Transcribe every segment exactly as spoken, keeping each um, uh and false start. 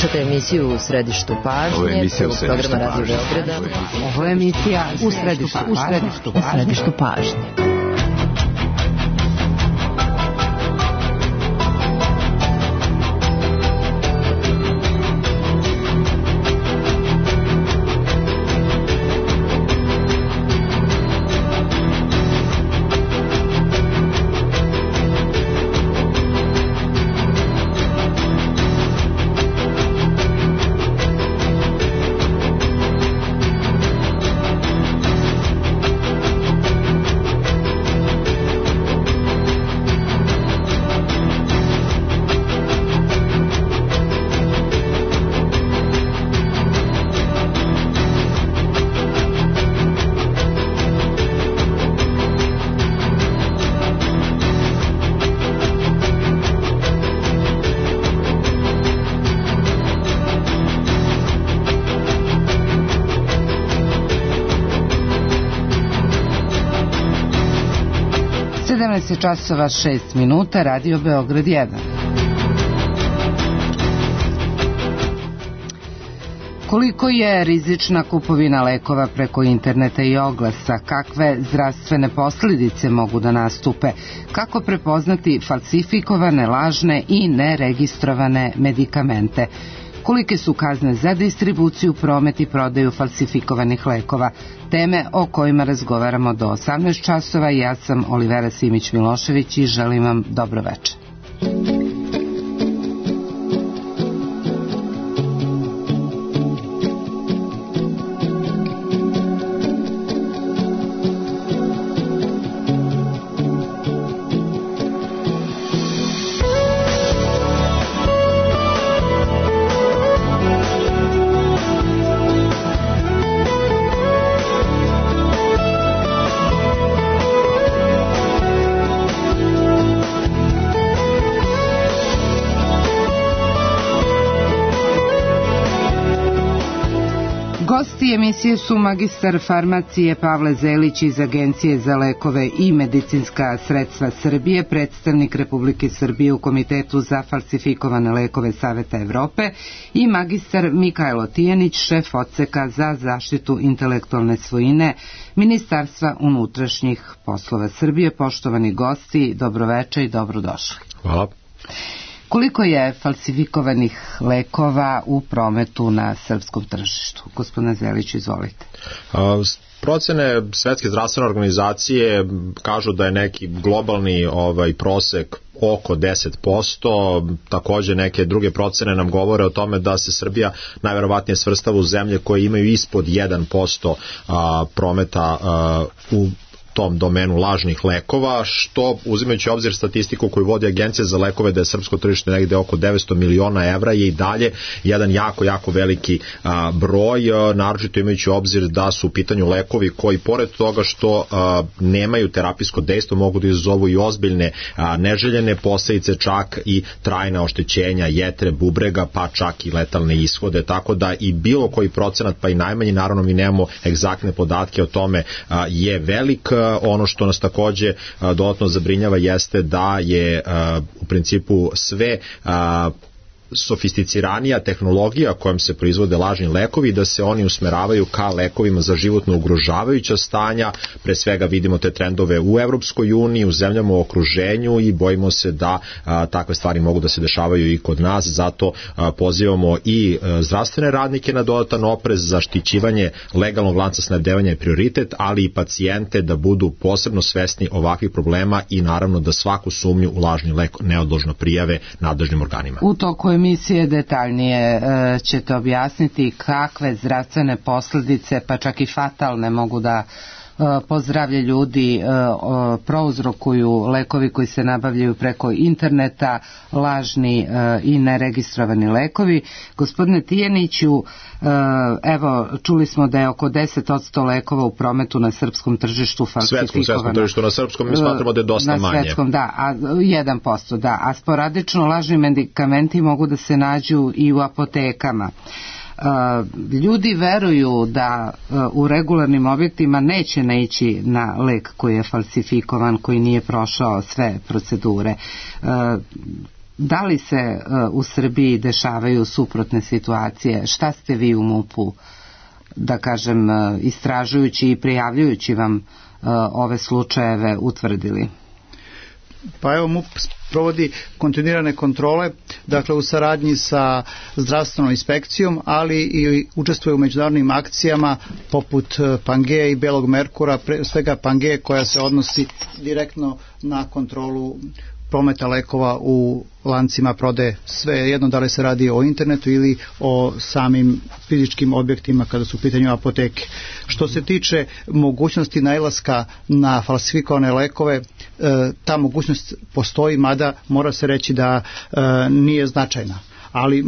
Slušajte emisiju U središtu pažnje. Ovo je emisija U središtu programa Radio pažnje. Beograda. Ovo je emisija U središtu, u središtu, u središtu pažnje. sedamnaest časova šest minuta, Radio Beograd jedan. Koliko je rizična kupovina lekova preko interneta i oglasa? Kakve zdravstvene posljedice mogu da nastupe? Kako prepoznati falsifikovane, lažne i neregistrovane medikamente? Kolike su kazne za distribuciju, promet i prodaju falsifikovanih lekova? Teme o kojima razgovaramo do osamnaest časova. Ja sam Olivera Simić-Milošević i želim vam dobro večer. Gosti emisije su magistar farmacije Pavle Zelić iz Agencije za lekove i medicinska sredstva Srbije, predstavnik Republike Srbije u Komitetu za falsifikovane lekove Saveta Evrope i magistar Mikajlo Tijanić, šef odseka za zaštitu intelektualne svojine Ministarstva unutrašnjih poslova Srbije. Poštovani gosti, dobroveče i dobrodošli. Hvala. Koliko je falsifikovanih lekova u prometu na srpskom tržištu? Gospodine Zelić, izvolite. A, procene Svetske zdravstvene organizacije kažu da je neki globalni ovaj prosek oko deset posto, takođe neke druge procene nam govore o tome da se Srbija najverovatnije svrstava u zemlje koje imaju ispod jedan posto a, prometa a, u tom domenu lažnih lekova, što uzimajući obzir statistiku koju vodi Agencija za lekove da je srpsko tržište negde oko devetsto miliona evra je i dalje jedan jako, jako veliki a, broj, a, naročito imajući obzir da su u pitanju lekovi koji pored toga što a, nemaju terapijsko dejstvo mogu da izazovu i ozbiljne a, neželjene posledice, čak i trajna oštećenja jetre, bubrega, pa čak i letalne ishode, tako da i bilo koji procenat, pa i najmanji, naravno mi nemamo egzaktne podatke o tome, a, je velik. Ono što nas takođe dodatno zabrinjava jeste da je u principu sve sofisticiranija tehnologija kojom se proizvode lažni lekovi, da se oni usmeravaju ka lekovima za životno ugrožavajuća stanja. Pre svega vidimo te trendove u Evropskoj uniji, u zemljama u okruženju i bojimo se da a, takve stvari mogu da se dešavaju i kod nas, zato a, pozivamo i a, zdravstvene radnike na dodatan oprez, zaštićivanje legalnog lanca snabdevanja je prioritet, ali i pacijente da budu posebno svesni ovakvih problema i naravno da svaku sumnju u lažni lek neodložno prijave nadležnim organima. U toku emisije detaljnije e, ćete objasniti kakve zdravstvene posljedice, pa čak i fatalne, mogu da po zdravlje ljudi prouzrokuju lekovi koji se nabavljaju preko interneta, lažni i neregistrovani lekovi. Gospodine Tijaniću, evo, čuli smo da je oko deset posto lekova u prometu na srpskom tržištu falsifikovano. Svetskom, svetskom tržištu, na srpskom mi smatramo da je dosta manje. Na svetskom, da, a jedan posto, da, a sporadično lažni medikamenti mogu da se nađu i u apotekama. Ljudi veruju da u regularnim objektima neće naići na lek koji je falsifikovan, koji nije prošao sve procedure. Da li se u Srbiji dešavaju suprotne situacije? Šta ste vi u MUP-u, da kažem, istražujući i prijavljujući vam ove slučajeve utvrdili? Pa evo, MUP provodi kontinuirane kontrole, dakle u saradnji sa zdravstvenom inspekcijom, ali i učestvuje u međunarodnim akcijama poput Pangeje i Belog Merkura, pre svega Pangeje koja se odnosi direktno na kontrolu prometa lekova u lancima prodaje, sve jedno da li se radi o internetu ili o samim fizičkim objektima kada su u pitanju apoteke. Što se tiče mogućnosti nailaska na falsifikovane lekove, ta mogućnost postoji, mada mora se reći da nije značajna. Ali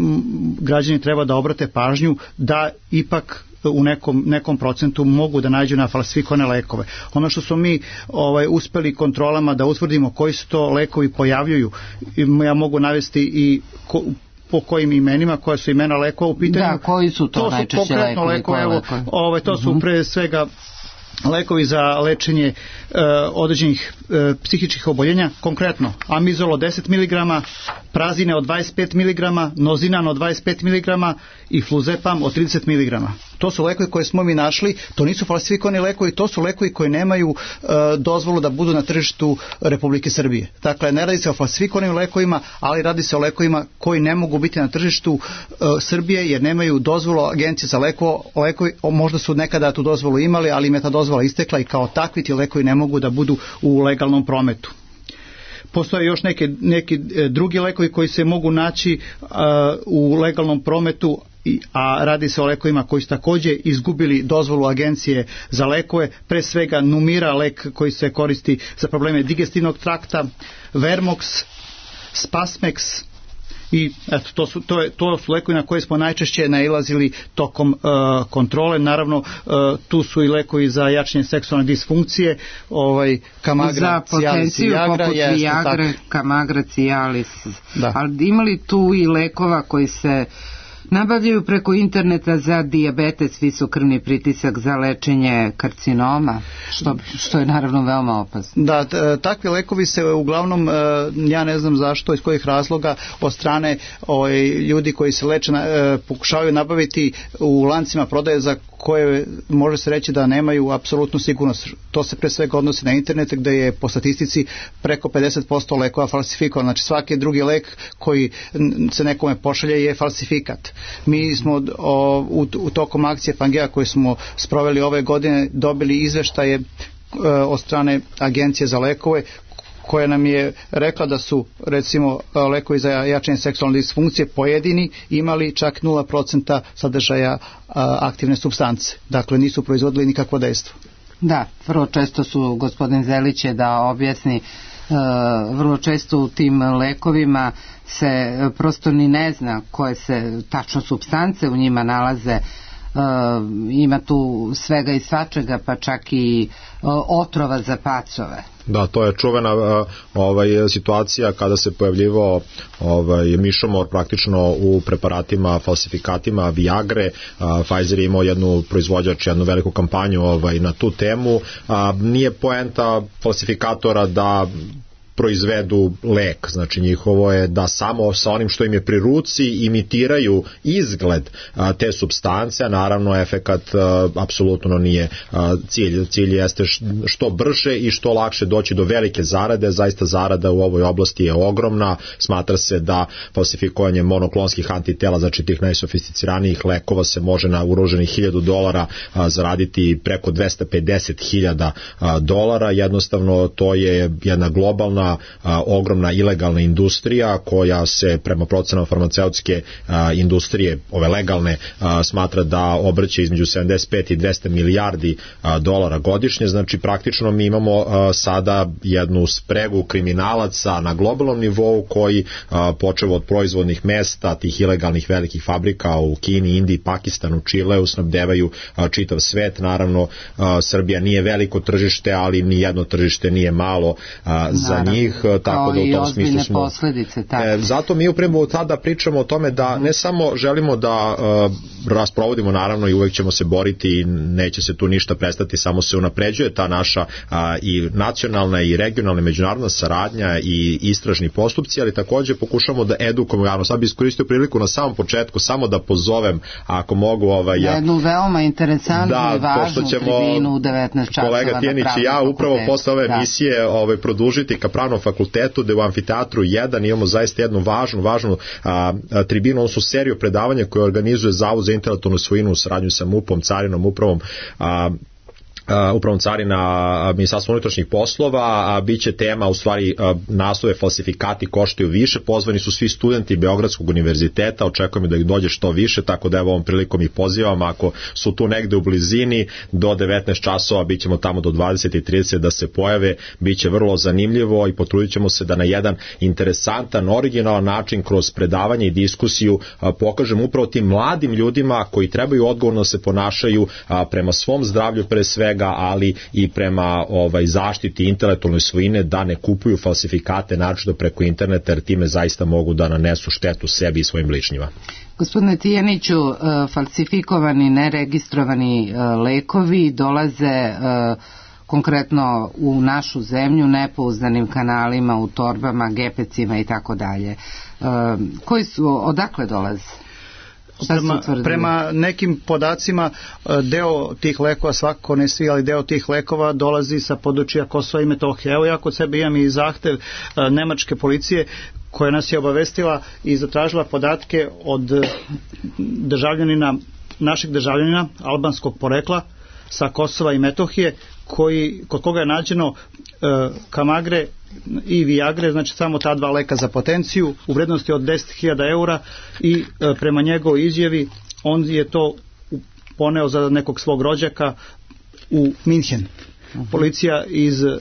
građani treba da obrate pažnju da ipak u nekom, nekom procentu mogu da nađu na falsifikovane lekove. Ono što smo mi ovaj, uspeli kontrolama da utvrdimo koji su to lekovi pojavljuju, ja mogu navesti i ko, po kojim imenima, koja su imena lekova u pitanju. Da, koji su to, to najčešće lekovi? lekovi evo, ovaj, to su pre svega lekovi za lečenje e, određenih e, psihičkih oboljenja, konkretno amizol od deset miligrama, prazine od dvadeset pet miligrama, nozinan od dvadeset pet miligrama i fluzepam od trideset miligrama. To su lekovi koje smo mi našli, to nisu falsifikovani lekovi, to su lekovi koji nemaju e, dozvolu da budu na tržištu Republike Srbije. Dakle, ne radi se o falsifikovanim lekovima, ali radi se o lekovima koji ne mogu biti na tržištu e, Srbije jer nemaju dozvolu Agencije za lekovo, lekovi, možda su nekada tu dozvolu imali, ali im je ta dozvola istekla i kao takvi ti lekovi ne mogu da budu u legalnom prometu. Postoje još neke, neki drugi lekovi koji se mogu naći uh, u legalnom prometu, a radi se o lekovima koji su također izgubili dozvolu Agencije za lekove, pre svega Numira, lek koji se koristi za probleme digestivnog trakta, Vermox, Spasmex, i eto, to su, to, je, to su lekovi na koje smo najčešće nailazili tokom uh, kontrole. Naravno, uh, tu su i lekovi za jačanje seksualne disfunkcije, ovaj, Kamagra, Cialis i Viagra. Poput jest, Viagre, Kamagra, Cialis. Ali ima li tu i lekova koji se nabavljaju preko interneta za dijabetes, visokrvni pritisak, za lečenje karcinoma, što, što je naravno veoma opasno? Da, takvi lekovi se uglavnom, ja ne znam zašto, iz kojih razloga, od strane ovaj, ljudi koji se leče pokušavaju nabaviti u lancima prodaje za koje može se reći da nemaju apsolutnu sigurnost. To se pre svega odnosi na internet gde je po statistici preko pedeset posto lekova falsifikovan. Znači svaki drugi lek koji se nekome pošalje je falsifikat. Mi smo o, u, u tokom akcije Pangeja koje smo sproveli ove godine dobili izveštaje e, od strane Agencije za lekove koja nam je rekla da su recimo lekovi za jačanje seksualne disfunkcije pojedini imali čak nula procenta sadržaja a, aktivne supstance. Dakle, nisu proizvodili nikakvo dejstvo. Da, vrlo često su, gospodin Zelić je da objasni, vrlo često u tim lekovima se prosto ni ne zna koje se tačno supstance u njima nalaze. Ima tu svega i svačega, pa čak i otrova za pacove. Da, to je čuvena ovaj, situacija kada se pojavljivao ovaj, mišomor praktično u preparatima, falsifikatima Viagre. A, Pfizer je imao jednu proizvođač, jednu veliku kampanju ovaj, na tu temu. A, nije poenta falsifikatora da proizvedu lek, znači njihovo je da samo sa onim što im je pri ruci imitiraju izgled a, te supstance, a naravno efekat a, apsolutno nije a, cilj. Cilj jeste što brže i što lakše doći do velike zarade. Zaista zarada u ovoj oblasti je ogromna. Smatra se da falsifikovanje monoklonskih antitela, znači tih najsofisticiranijih lekova, se može na uroženih hiljadu dolara a, zaraditi preko dvesta pedeset hiljada dolara. Jednostavno to je jedna globalna A, ogromna ilegalna industrija koja se prema procenama farmaceutske a, industrije, ove legalne, a, smatra da obrće između sedamdeset pet i dvesta milijardi a, dolara godišnje. Znači praktično mi imamo a, sada jednu spregu kriminalaca na globalnom nivou koji a, počevo od proizvodnih mesta tih ilegalnih velikih fabrika u Kini, Indiji, Pakistanu, Čileu snabdevaju a, čitav svet. Naravno a, Srbija nije veliko tržište, ali ni jedno tržište nije malo a, za njih. njih, tako da u tom smislu smo... Posljedice, e, zato mi upravo tada pričamo o tome da ne samo želimo da uh, rasprovodimo, naravno i uvek ćemo se boriti i neće se tu ništa prestati, samo se unapređuje ta naša uh, i nacionalna i regionalna međunarodna saradnja i istražni postupci, ali takođe pokušamo da edukujemo javno. Sad bi iskoristio priliku na samom početku samo da pozovem, ako mogu, ovaj, ja, jednu veoma interesantnu da, i važnu tribinu u devetnaest časova kolega Tijanić i ja upravo posle ove da. emisije ovaj, produžiti ka Pravnom fakultetu, da u amfiteatru jedan imamo zaista jednu važnu, važnu a, a, tribinu, odnosno seriju predavanja koje organizuje Zavod za intelektualnu svojinu u saradnju sa MUP-om, Carinom upravom, a, Uh, upravom carina Ministarstva unutrašnjih poslova, a bit će tema u stvari uh, naslove falsifikati koštaju više. Pozvani su svi studenti Beogradskog univerziteta, očekujemo da ih dođe što više, tako da evo ovom prilikom ih pozivam, ako su tu negde u blizini do devetnaest časova, bit ćemo tamo do dvadeset i trideset da se pojave, bit će vrlo zanimljivo i potrudit ćemo se da na jedan interesantan, originalan način kroz predavanje i diskusiju uh, pokažemo upravo tim mladim ljudima koji trebaju odgovorno se ponašaju uh, prema svom zdravlju pre svega, ali i prema ovaj, zaštiti intelektualne svojine, da ne kupuju falsifikate naročito preko interneta, jer time zaista mogu da nanesu štetu sebi i svojim bližnjima. Gospodine Tijaniću, falsifikovani, neregistrovani lekovi dolaze konkretno u našu zemlju nepouzdanim kanalima, u torbama, gepecima i tako dalje. Koji su, odakle dolaze? Prema, prema nekim podacima deo tih lekova, svakako ne svi, ali deo tih lekova dolazi sa područja Kosova i Metohije. Evo ja kod sebe imam i zahtev nemačke policije koja nas je obavestila i zatražila podatke od državljanina, našeg državljanina albanskog porekla sa Kosova i Metohije, koji, kod koga je nađeno e, kamagre i viagre, znači samo ta dva leka za potenciju u vrednosti od deset hiljada eura i e, prema njegovoj izjavi on je to poneo za nekog svog rođaka u Minhen. Policija iz e,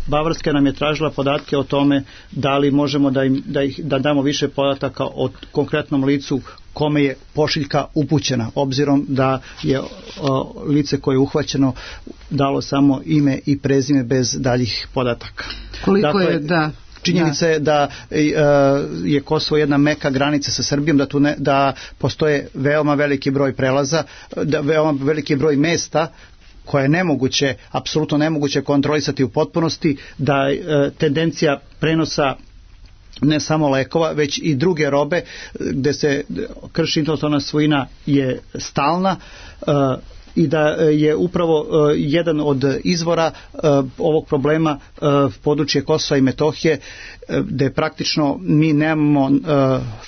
Bavarske nam je tražila podatke o tome da li možemo da, im, da, ih, da damo više podataka o konkretnom licu kome je pošiljka upućena, obzirom da je o, lice koje je uhvaćeno dalo samo ime i prezime bez daljih podataka. Koliko dakle, je, da... Činjenica je da je Kosovo jedna meka granica sa Srbijom, da tu ne, da postoje veoma veliki broj prelaza, da veoma veliki broj mesta koje je nemoguće, apsolutno nemoguće kontrolisati u potpunosti, da e, tendencija prenosa ne samo lekova, već i druge robe gde se krši intelektualna svojina je stalna e, i da je upravo uh, jedan od izvora uh, ovog problema uh, područje Kosova i Metohije, uh, gde praktično mi nemamo uh,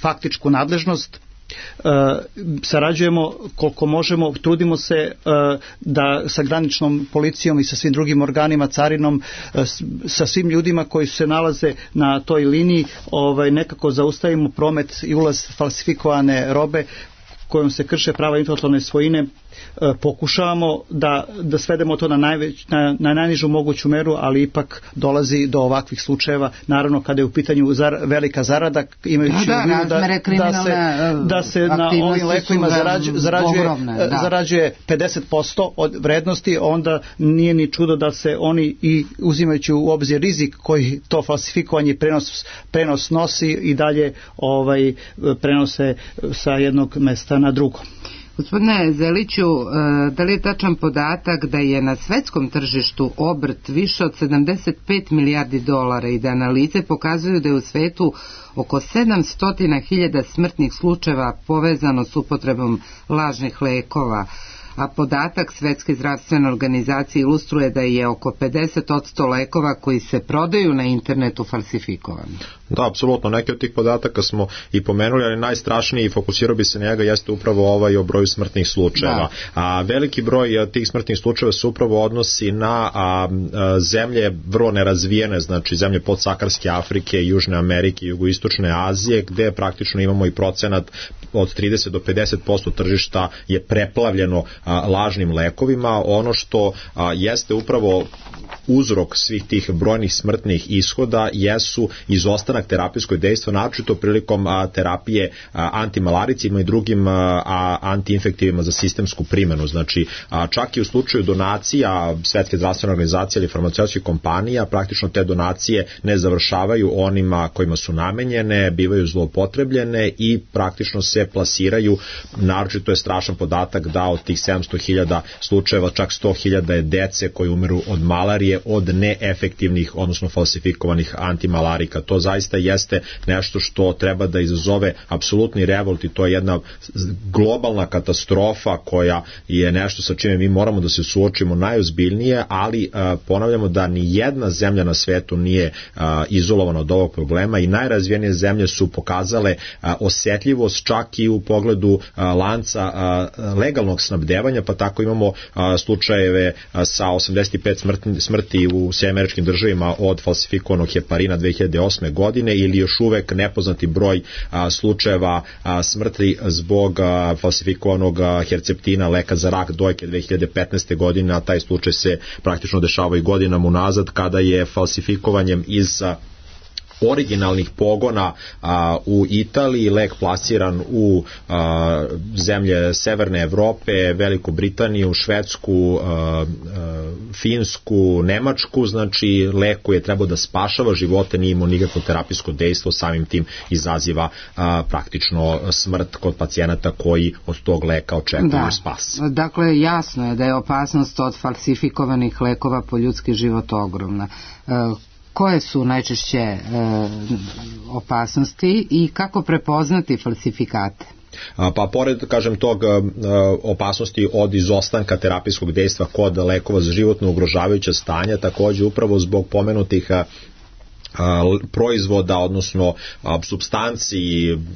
faktičku nadležnost. Uh, sarađujemo koliko možemo, trudimo se uh, da sa graničnom policijom i sa svim drugim organima, carinom, uh, sa svim ljudima koji se nalaze na toj liniji, ovaj, nekako zaustavimo promet i ulaz falsifikovane robe kojom se krše prava intelektualne svojine. Pokušavamo da, da svedemo to na, najveć, na, na najnižu moguću meru, ali ipak dolazi do ovakvih slučajeva, naravno kada je u pitanju zar, velika zarada, imajući da, da, da, da, da se, da se na ovim lekovima zarađuje, zarađuje, ogromne, da. zarađuje pedeset posto od vrednosti, onda nije ni čudo da se oni i uzimajući u obzir rizik koji to falsifikovanje prenos, prenos nosi i dalje ovaj, prenose sa jednog mesta na drugo. Gospodine Zeliću, da li je tačan podatak da je na svetskom tržištu obrt više od sedamdeset pet milijardi dolara i da analize pokazuju da je u svetu oko sedamsto hiljada smrtnih slučajeva povezano s upotrebom lažnih lekova, a podatak Svetske zdravstvene organizacije ilustruje da je oko pedeset posto lekova koji se prodaju na internetu falsifikovani. Da, apsolutno, neke od tih podataka smo i pomenuli, ali najstrašniji i fokusirao bi se na njega jeste upravo ovaj o broju smrtnih slučajeva. A veliki broj tih smrtnih slučajeva se upravo odnosi na a, a, zemlje vrlo nerazvijene, znači zemlje podsaharske Afrike, Južne Amerike, Jugoistočne Azije, gde praktično imamo i procenat od trideset do pedeset posto tržišta je preplavljeno a, lažnim lekovima. Ono što a, jeste upravo uzrok svih tih brojnih smrtnih ishoda jesu izostanak terapijskog dejstva, naročito prilikom a, terapije a, antimalaricima i drugim a, a, antiinfektivima za sistemsku primjenu. Znači, a, čak i u slučaju donacija Svetske zdravstvene organizacije ili farmaceutskih kompanija, praktično te donacije ne završavaju onima kojima su namenjene, bivaju zloupotrebljene i praktično se plasiraju. Naročito je strašan podatak da od tih sedamsto hiljada slučajeva čak sto hiljada je dece koji umiru od malarije od neefektivnih, odnosno falsifikovanih antimalarika. To zaista jeste nešto što treba da izazove apsolutni revolt i to je jedna globalna katastrofa koja je nešto sa čime mi moramo da se suočimo najozbiljnije, ali a, ponavljamo da ni jedna zemlja na svetu nije a, izolovana od ovog problema i najrazvijenije zemlje su pokazale a, osjetljivost čak i u pogledu a, lanca a, legalnog snabdevanja, pa tako imamo a, slučajeve a, sa osamdeset pet smrti, smrti u Sjedinjenim Američkim Državama od falsifikovanog heparina dve hiljade osme godine ili još uvek nepoznati broj a, slučajeva a, smrti zbog a, falsifikovanog a, herceptina, leka za rak dojke dve hiljade petnaeste godine, a taj slučaj se praktično dešava i godinama unazad kada je falsifikovanjem iz a, originalnih pogona a, u Italiji lek plasiran u a, zemlje Severne Evrope, Veliku Britaniju, Švedsku, a, a, Finsku, Nemačku, znači lek koji je trebao da spašava živote, nije imao nikakvo terapijsko dejstvo, samim tim izaziva a, praktično smrt kod pacijenata koji od tog leka očekuju da. spas. Dakle, jasno je da je opasnost od falsifikovanih lekova po ljudski život ogromna. E, Koje su najčešće e, opasnosti i kako prepoznati falsifikate? Pa pored, kažem, tog opasnosti od izostanka terapijskog dejstva kod lekova za životno ugrožavajuća stanja, takođe upravo zbog pomenutih proizvoda, odnosno supstanci,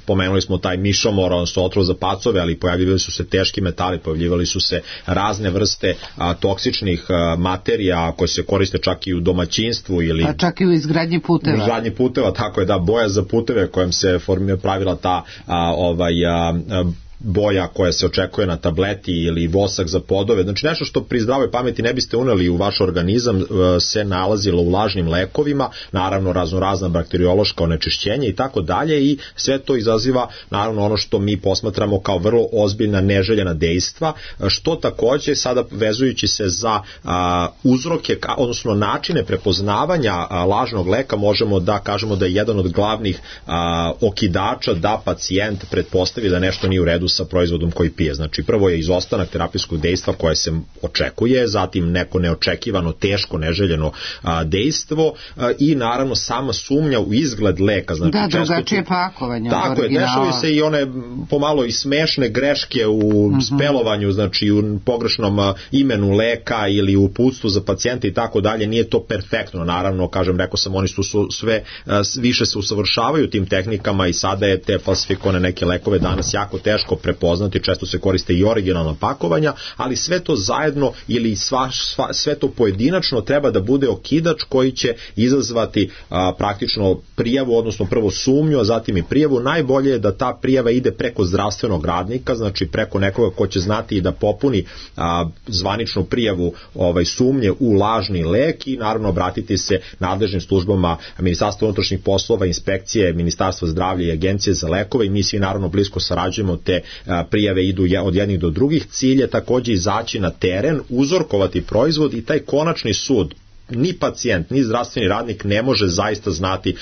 pomenuli smo taj mišomor, odnosno otrov za pacove, ali pojavljivali su se teški metali, pojavljivali su se razne vrste a, toksičnih a, materija koje se koriste čak i u domaćinstvu ili a čak i u izgradnji puteva. U izgradnji puteva, tako je, da, boja za puteve kojom se formira pravila ta a, ovaj a, a, boja koja se očekuje na tableti ili vosak za podove, znači nešto što pri zdravoj pameti ne biste uneli u vaš organizam se nalazilo u lažnim lekovima, naravno raznorazna bakteriološka onečišćenja i tako dalje i sve to izaziva naravno ono što mi posmatramo kao vrlo ozbiljna neželjena dejstva, što takođe sada vezujući se za a, uzroke, odnosno načine prepoznavanja a, lažnog leka možemo da kažemo da je jedan od glavnih a, okidača da pacijent pretpostavi da nešto nije u redu sa proizvodom koji pije. Znači prvo je izostanak terapijskog dejstva koje se očekuje, zatim neko neočekivano, teško, neželjeno a, dejstvo a, i naravno sama sumnja u izgled leka. Znači, da, drugačije pakovanje. Tako je, dešavaju se i one pomalo i smešne greške u uh-huh. spelovanju, znači u pogrešnom a, imenu leka ili u uputstvu za pacijente i tako dalje, nije to perfektno, naravno, kažem, rekao sam, oni su, su sve a, više se usavršavaju tim tehnikama i sada je te falsifikovane neke lekove danas jako teško prepoznati, često se koriste i originalna pakovanja, ali sve to zajedno ili sva, sva, sve to pojedinačno treba da bude okidač koji će izazvati a, praktično prijavu, odnosno prvo sumnju, a zatim i prijavu. Najbolje je da ta prijava ide preko zdravstvenog radnika, znači preko nekoga ko će znati i da popuni a, zvaničnu prijavu ovaj, sumnje u lažni lek i naravno obratiti se nadležnim službama Ministarstva unutrašnjih poslova, inspekcije, Ministarstva zdravlja i Agencije za lekove i mi svi naravno blisko sarađujemo, te prijave idu od jednih do drugih. Cilj je takođe izaći na teren, uzorkovati proizvod i taj konačni sud, ni pacijent, ni zdravstveni radnik ne može zaista znati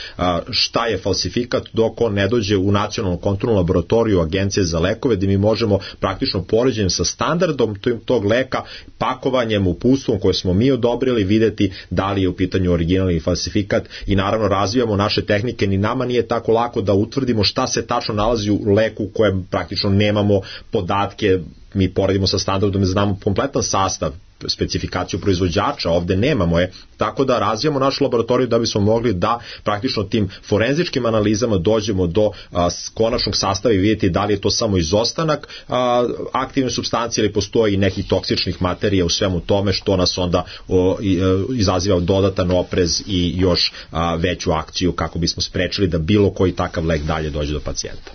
šta je falsifikat dok on ne dođe u nacionalnu kontrolnu laboratoriju Agencije za lekove, gde mi možemo praktično poređenjem sa standardom tog leka, pakovanjem, uputstvom koje smo mi odobrili, videti da li je u pitanju originalni falsifikat i naravno razvijamo naše tehnike. Ni nama nije tako lako da utvrdimo šta se tačno nalazi u leku kojem praktično nemamo podatke, mi poredimo sa standardom, znamo kompletan sastav, specifikaciju proizvođača, ovde nemamo je, tako da razvijamo našu laboratoriju da bismo mogli da praktično tim forenzičkim analizama dođemo do a, konačnog sastava i vidjeti da li je to samo izostanak a, aktivne supstancije ili postoji nekih toksičnih materija u svemu tome, što nas onda o, i, a, izaziva dodatan oprez i još a, veću akciju kako bismo sprečili da bilo koji takav lek dalje dođe do pacijenta.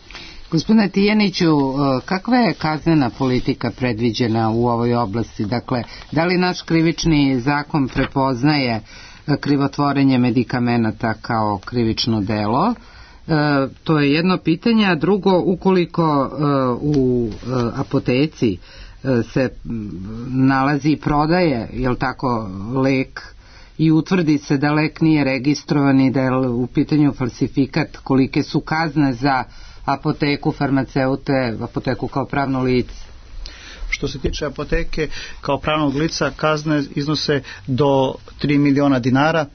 Gospodine Tijaniću, kakva je kaznena politika predviđena u ovoj oblasti? Dakle, da li naš krivični zakon prepoznaje krivotvorenje medikamenata kao krivično delo? E, to je jedno pitanje, a drugo, ukoliko e, u e, apoteci e, se nalazi i prodaje, jel tako, lek i utvrdi se da lek nije registrovan i da je u pitanju falsifikat, kolike su kazne za apoteku, farmaceute, apoteku kao pravno lice? Što se tiče apoteke kao pravnog lica, kazne iznose do tri miliona dinara.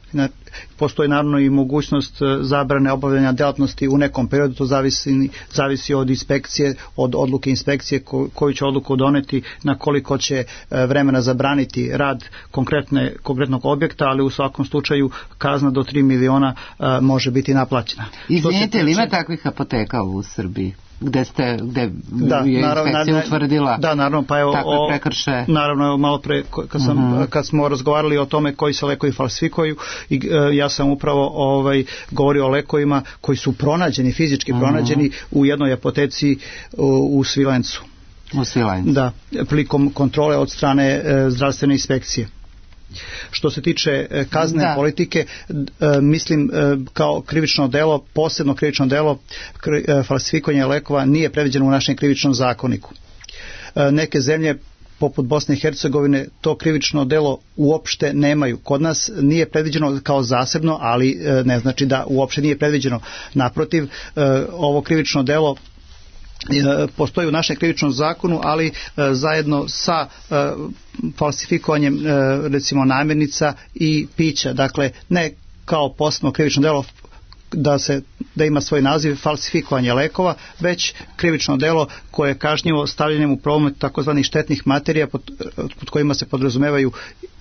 Postoji naravno i mogućnost zabrane obavljanja djelatnosti u nekom periodu, to zavisi, zavisi od inspekcije, od odluke inspekcije koju će odluku doneti na koliko će vremena zabraniti rad konkretne, konkretnog objekta, ali u svakom slučaju kazna do tri miliona može biti naplaćena. Izvinite, li ima takvih apoteka u Srbiji? Gde ste, gde da, je naravno, inspekcija utvrdila da, naravno, pa evo, takve prekršaje? Naravno, malo pre, kad, sam, uh-huh. kad smo razgovarali o tome koji se lekovi falsifikuju, i, e, ja sam upravo ovaj, govorio o lekovima koji su pronađeni, fizički uh-huh. pronađeni u jednoj apoteci u, u Svilencu. U Svilencu. Da, prilikom kontrole od strane e, zdravstvene inspekcije. Što se tiče kazne da. politike, mislim kao krivično delo, posebno krivično delo falsifikovanja lekova nije predviđeno u našem krivičnom zakoniku. Neke zemlje poput Bosne i Hercegovine to krivično delo uopšte nemaju. Kod nas nije predviđeno kao zasebno, ali ne znači da uopšte nije predviđeno. Naprotiv, ovo krivično delo postoji u našem krivičnom zakonu, ali e, zajedno sa e, falsifikovanjem e, recimo namirnica i pića. Dakle, ne kao posebno krivično delo da se da ima svoj naziv falsifikovanje lekova, već krivično delo koje je kažnjivo stavljanjem u promet takozvanih štetnih materija pod, pod kojima se podrazumevaju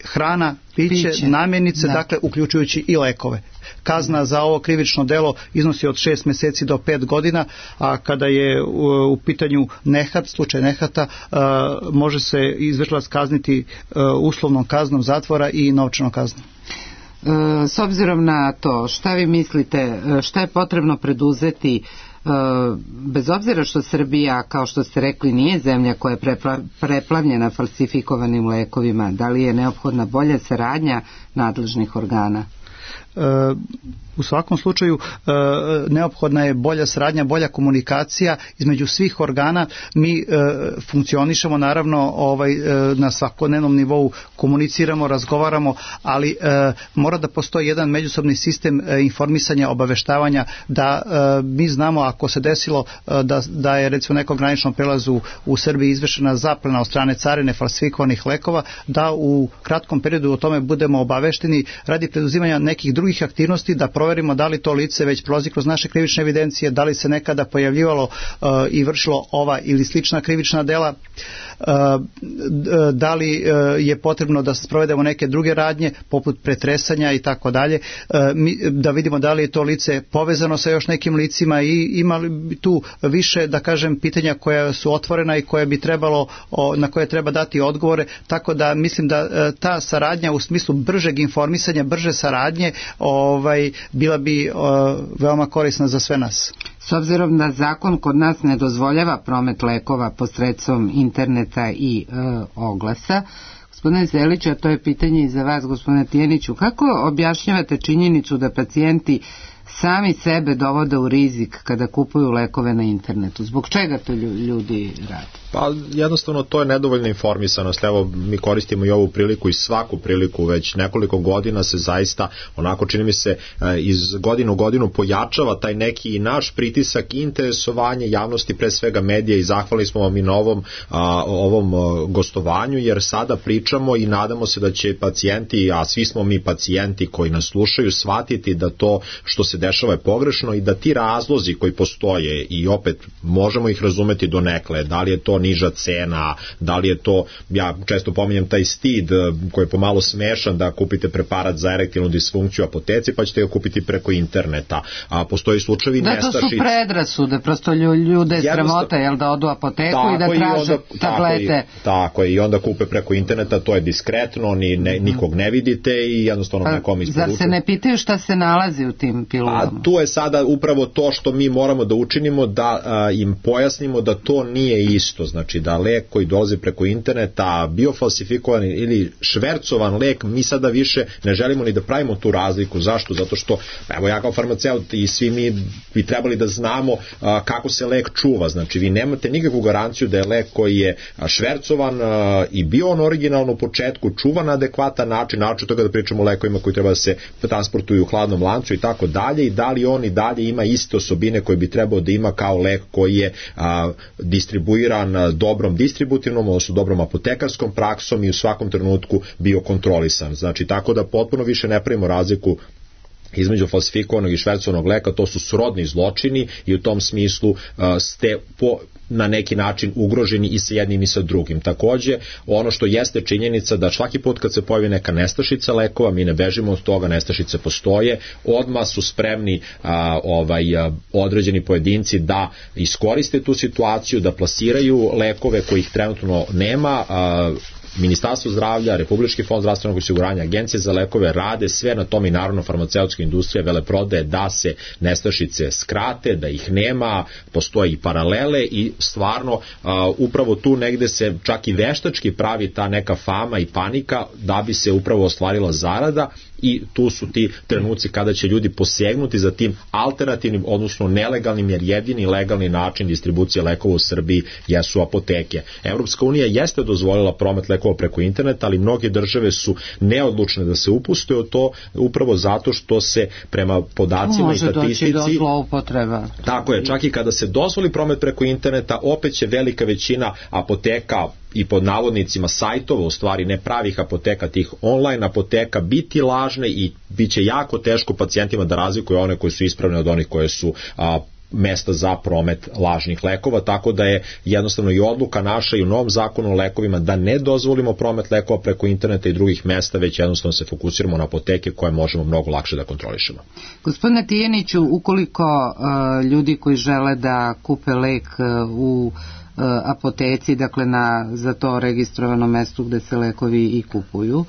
hrana, piće, piće. namirnice, da. dakle uključujući i lekove. Kazna za ovo krivično delo iznosi od šest mjeseci do pet godina, a kada je u, u pitanju nehat, slučaj nehata, a, može se izvršilac kazniti a, uslovnom kaznom zatvora i novčanom kaznom. S obzirom na to, šta vi mislite, šta je potrebno preduzeti, bez obzira što Srbija, kao što ste rekli, nije zemlja koja je preplavljena falsifikovanim lekovima, da li je neophodna bolja saradnja nadležnih organa? U svakom slučaju neophodna je bolja saradnja, bolja komunikacija između svih organa. Mi funkcionišemo naravno ovaj, na svakodnevnom nivou, komuniciramo, razgovaramo, ali mora da postoji jedan međusobni sistem informisanja, obaveštavanja, da mi znamo ako se desilo da, da je recimo nekom graničnom prelazu u Srbiji izvršena zaplena od strane carine falsifikovanih lekova, da u kratkom periodu o tome budemo obavešteni radi preduzimanja nekih drugih aktivnosti, da proverimo da li to lice već prolazi kroz naše krivične evidencije, da li se nekada pojavljivalo uh, i vršilo ova ili slična krivična dela, uh, da li uh, je potrebno da sprovedemo neke druge radnje poput pretresanja i tako dalje, da vidimo da li je to lice povezano sa još nekim licima i ima li tu više, da kažem, pitanja koja su otvorena i koje bi trebalo, o, na koje treba dati odgovore, tako da mislim da uh, ta saradnja u smislu bržeg informisanja, brže saradnje ovaj, bila bi uh, veoma korisna za sve nas. S obzirom da zakon kod nas ne dozvoljava promet lekova posredstvom interneta i uh, oglasa, gospodine Zeliću, a to je pitanje i za vas, gospodine Tijaniću, kako objašnjavate činjenicu da pacijenti sami sebe dovode u rizik kada kupuju lekove na internetu? Zbog čega to ljudi rade? Pa jednostavno to je nedovoljna informisanost. Evo, mi koristimo i ovu priliku i svaku priliku, već nekoliko godina se zaista, onako čini mi se, iz godinu u godinu pojačava taj neki naš pritisak i interesovanje javnosti, pre svega medija, i zahvalni smo vam i na ovom, a, ovom gostovanju, jer sada pričamo i nadamo se da će pacijenti, a svi smo mi pacijenti koji nas slušaju, shvatiti da to što se dešava je pogrešno i da ti razlozi koji postoje, i opet možemo ih razumeti donekle, da li je to niža cena, da li je to, ja često pominjem taj stid koji je pomalo smešan, da kupite preparat za erektilnu disfunkciju u apoteci pa ćete ga kupiti preko interneta, a postoji slučajevi nestašice. Da, to su predrasude, prosto ljude sramote, jel, da odu u apoteku tako i da traže onda, tablete. Tako, tako je, i onda kupe preko interneta, to je diskretno, ni, ne, nikog ne vidite i jednostavno pa, nekom isporučuju. Zar se ne pitaju šta se nalazi u tim pilulama? formulama? A tu je sada upravo to što mi moramo da učinimo, da a, im pojasnimo da to nije isto, znači da lek koji dolazi preko interneta, biofalsifikovan ili švercovan lek, mi sada više ne želimo ni da pravimo tu razliku. Zašto? Zato što, evo ja kao farmaceut i svi mi bi trebali da znamo a, kako se lek čuva, znači vi nemate nikakvu garanciju da je lek koji je švercovan a, i bio on originalno u početku čuvan na adekvatan način, način toga da pričamo o lekovima koji treba da se transportuju u hladnom lancu i tako dalje, i da li on i dalje ima iste osobine koje bi trebao da ima kao lek koji je a, distribuiran dobrom distributivnom, odnosno dobrom apotekarskom praksom i u svakom trenutku bio kontrolisan. Znači tako da potpuno više ne pravimo razliku između falsifikovanog i švercovanog leka, to su srodni zločini i u tom smislu uh, ste po na neki način ugroženi i sa jednim i sa drugim. Takođe, ono što jeste činjenica da svaki put kad se pojavi neka nestašica lekova, mi ne bežimo od toga, nestašice postoje, odmah su spremni a, ovaj, a, određeni pojedinci da iskoriste tu situaciju, da plasiraju lekove kojih trenutno nema. a, Ministarstvo zdravlja, Republički fond zdravstvenog osiguranja, Agencije za lekove rade sve na tom i naravno farmaceutska industrija veleprodaje da se nestašice skrate, da ih nema, postoje i paralele i stvarno a, upravo tu negde se čak i veštački pravi ta neka fama i panika da bi se upravo ostvarila zarada, i tu su ti trenuci kada će ljudi posegnuti za tim alternativnim, odnosno nelegalnim, jer jedini legalni način distribucije lekova u Srbiji jesu apoteke. Evropska unija jeste dozvolila promet lekova preko interneta, ali mnoge države su neodlučne da se upuste u to, upravo zato što se prema podacima može i statistici doći do zloupotreba. Tako je, čak i kada se dozvoli promet preko interneta, opet će velika većina apoteka i pod navodnicima sajtova, u stvari ne pravih apoteka, tih online apoteka, biti lažne i bit će jako teško pacijentima da razlikuju one koje su ispravne od onih koje su a, mesta za promet lažnih lekova, tako da je jednostavno i odluka naša i u novom zakonu o lekovima da ne dozvolimo promet lekova preko interneta i drugih mesta, već jednostavno se fokusiramo na apoteke koje možemo mnogo lakše da kontrolišemo. Gospodine Tijaniću, ukoliko uh, ljudi koji žele da kupe lek uh, u apoteci, dakle na za to registrovano mesto gde se lekovi i kupuju,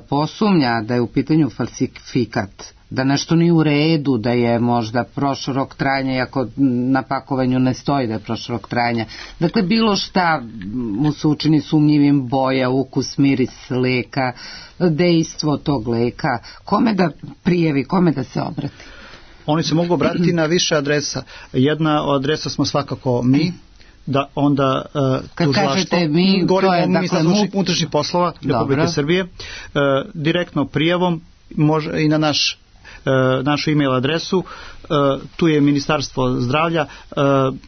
posumnja da je u pitanju falsifikat, da nešto nije u redu, da je možda prošao rok trajanja, iako na pakovanju ne stoji da je prošao rok trajanja. Dakle, bilo šta mu se učini sumnjivim, boja, ukus, miris leka, dejstvo tog leka, kome da prijavi, kome da se obrati? Oni se mogu obratiti na više adresa. Jedna od adresa smo svakako mi, da onda uh, kad kažete mi, to je dakle unutrašnjih poslova Republike Srbije, uh, direktno prijavom može i na naš uh, našu e-mail adresu, uh, tu je Ministarstvo zdravlja, uh,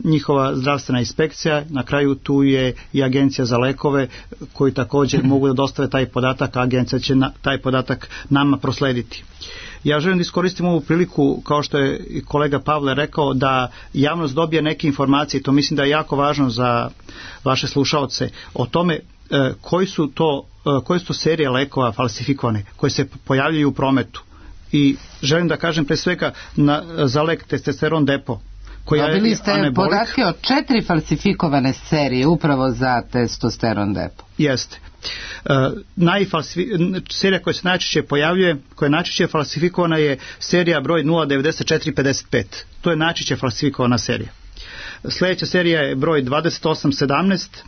njihova zdravstvena inspekcija, na kraju tu je i Agencija za lekove koji također mogu da dostave taj podatak, a agencija će na, taj podatak nama proslediti. Ja želim da iskoristim ovu priliku, kao što je i kolega Pavle rekao, da javnost dobije neke informacije, to mislim da je jako važno za vaše slušaoce, o tome e, koji su to, e, koje su to serije lekova falsifikovane, koje se pojavljaju u prometu. I želim da kažem pre svega na, za lek testosteron depo. Dobili ste anabolik, podatke o četiri falsifikovane serije upravo za testosteron depo. Jeste. Uh, najfalsifi... serija koja se najčešće pojavljuje, koja je najčešće falsifikovana, je serija broj nula devedeset četiri pedeset pet. To je najčešće falsifikovana serija. Sljedeća serija je broj dvadeset osam sedamnaest,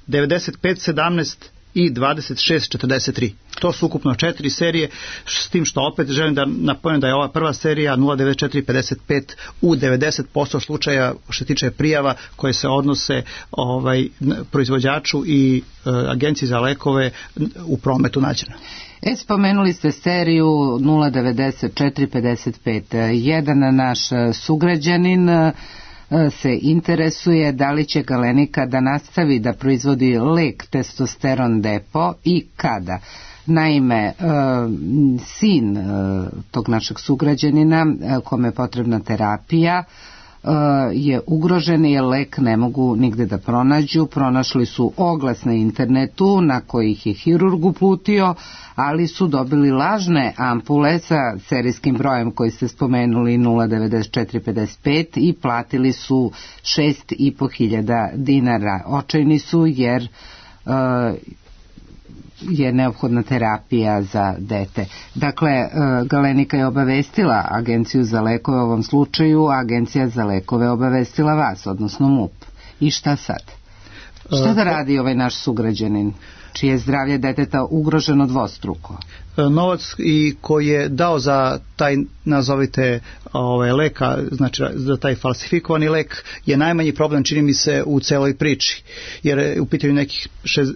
devedeset pet sedamnaest i dvadeset šest četrdeset tri. To su ukupno četiri serije, s tim što opet želim da napomenem da je ova prva serija nula devedeset četiri pedeset pet u devedeset posto slučaja što tiče prijava koje se odnose ovaj, proizvođaču i e, Agenciji za lekove u prometu nađena. E, spomenuli ste seriju nula devedeset četiri pedeset pet. Jedan naš sugrađanin se interesuje da li će Galenika da nastavi da proizvodi lek testosteron depo i kada. Naime, sin tog našeg sugrađanina kome je potrebna terapija je ugrožen jer lek ne mogu nigde da pronađu. Pronašli su oglas na internetu na kojih je hirurg uputio, ali su dobili lažne ampule sa serijskim brojem koji ste spomenuli nula devedeset četiri pedeset pet i platili su šest i po hiljada dinara. Očajni su jer uh, je neophodna terapija za dete. Dakle, Galenika je obavestila Agenciju za lekove u ovom slučaju, a Agencija za lekove obavestila vas, odnosno MUP. I šta sad? Šta da radi ovaj naš sugrađanin, čije je zdravlje deteta ugroženo dvostruko? Novac i koji je dao za taj, nazovite, ovaj, leka, znači za taj falsifikovani lek, je najmanji problem, čini mi se, u celoj priči, jer je u pitanju nekih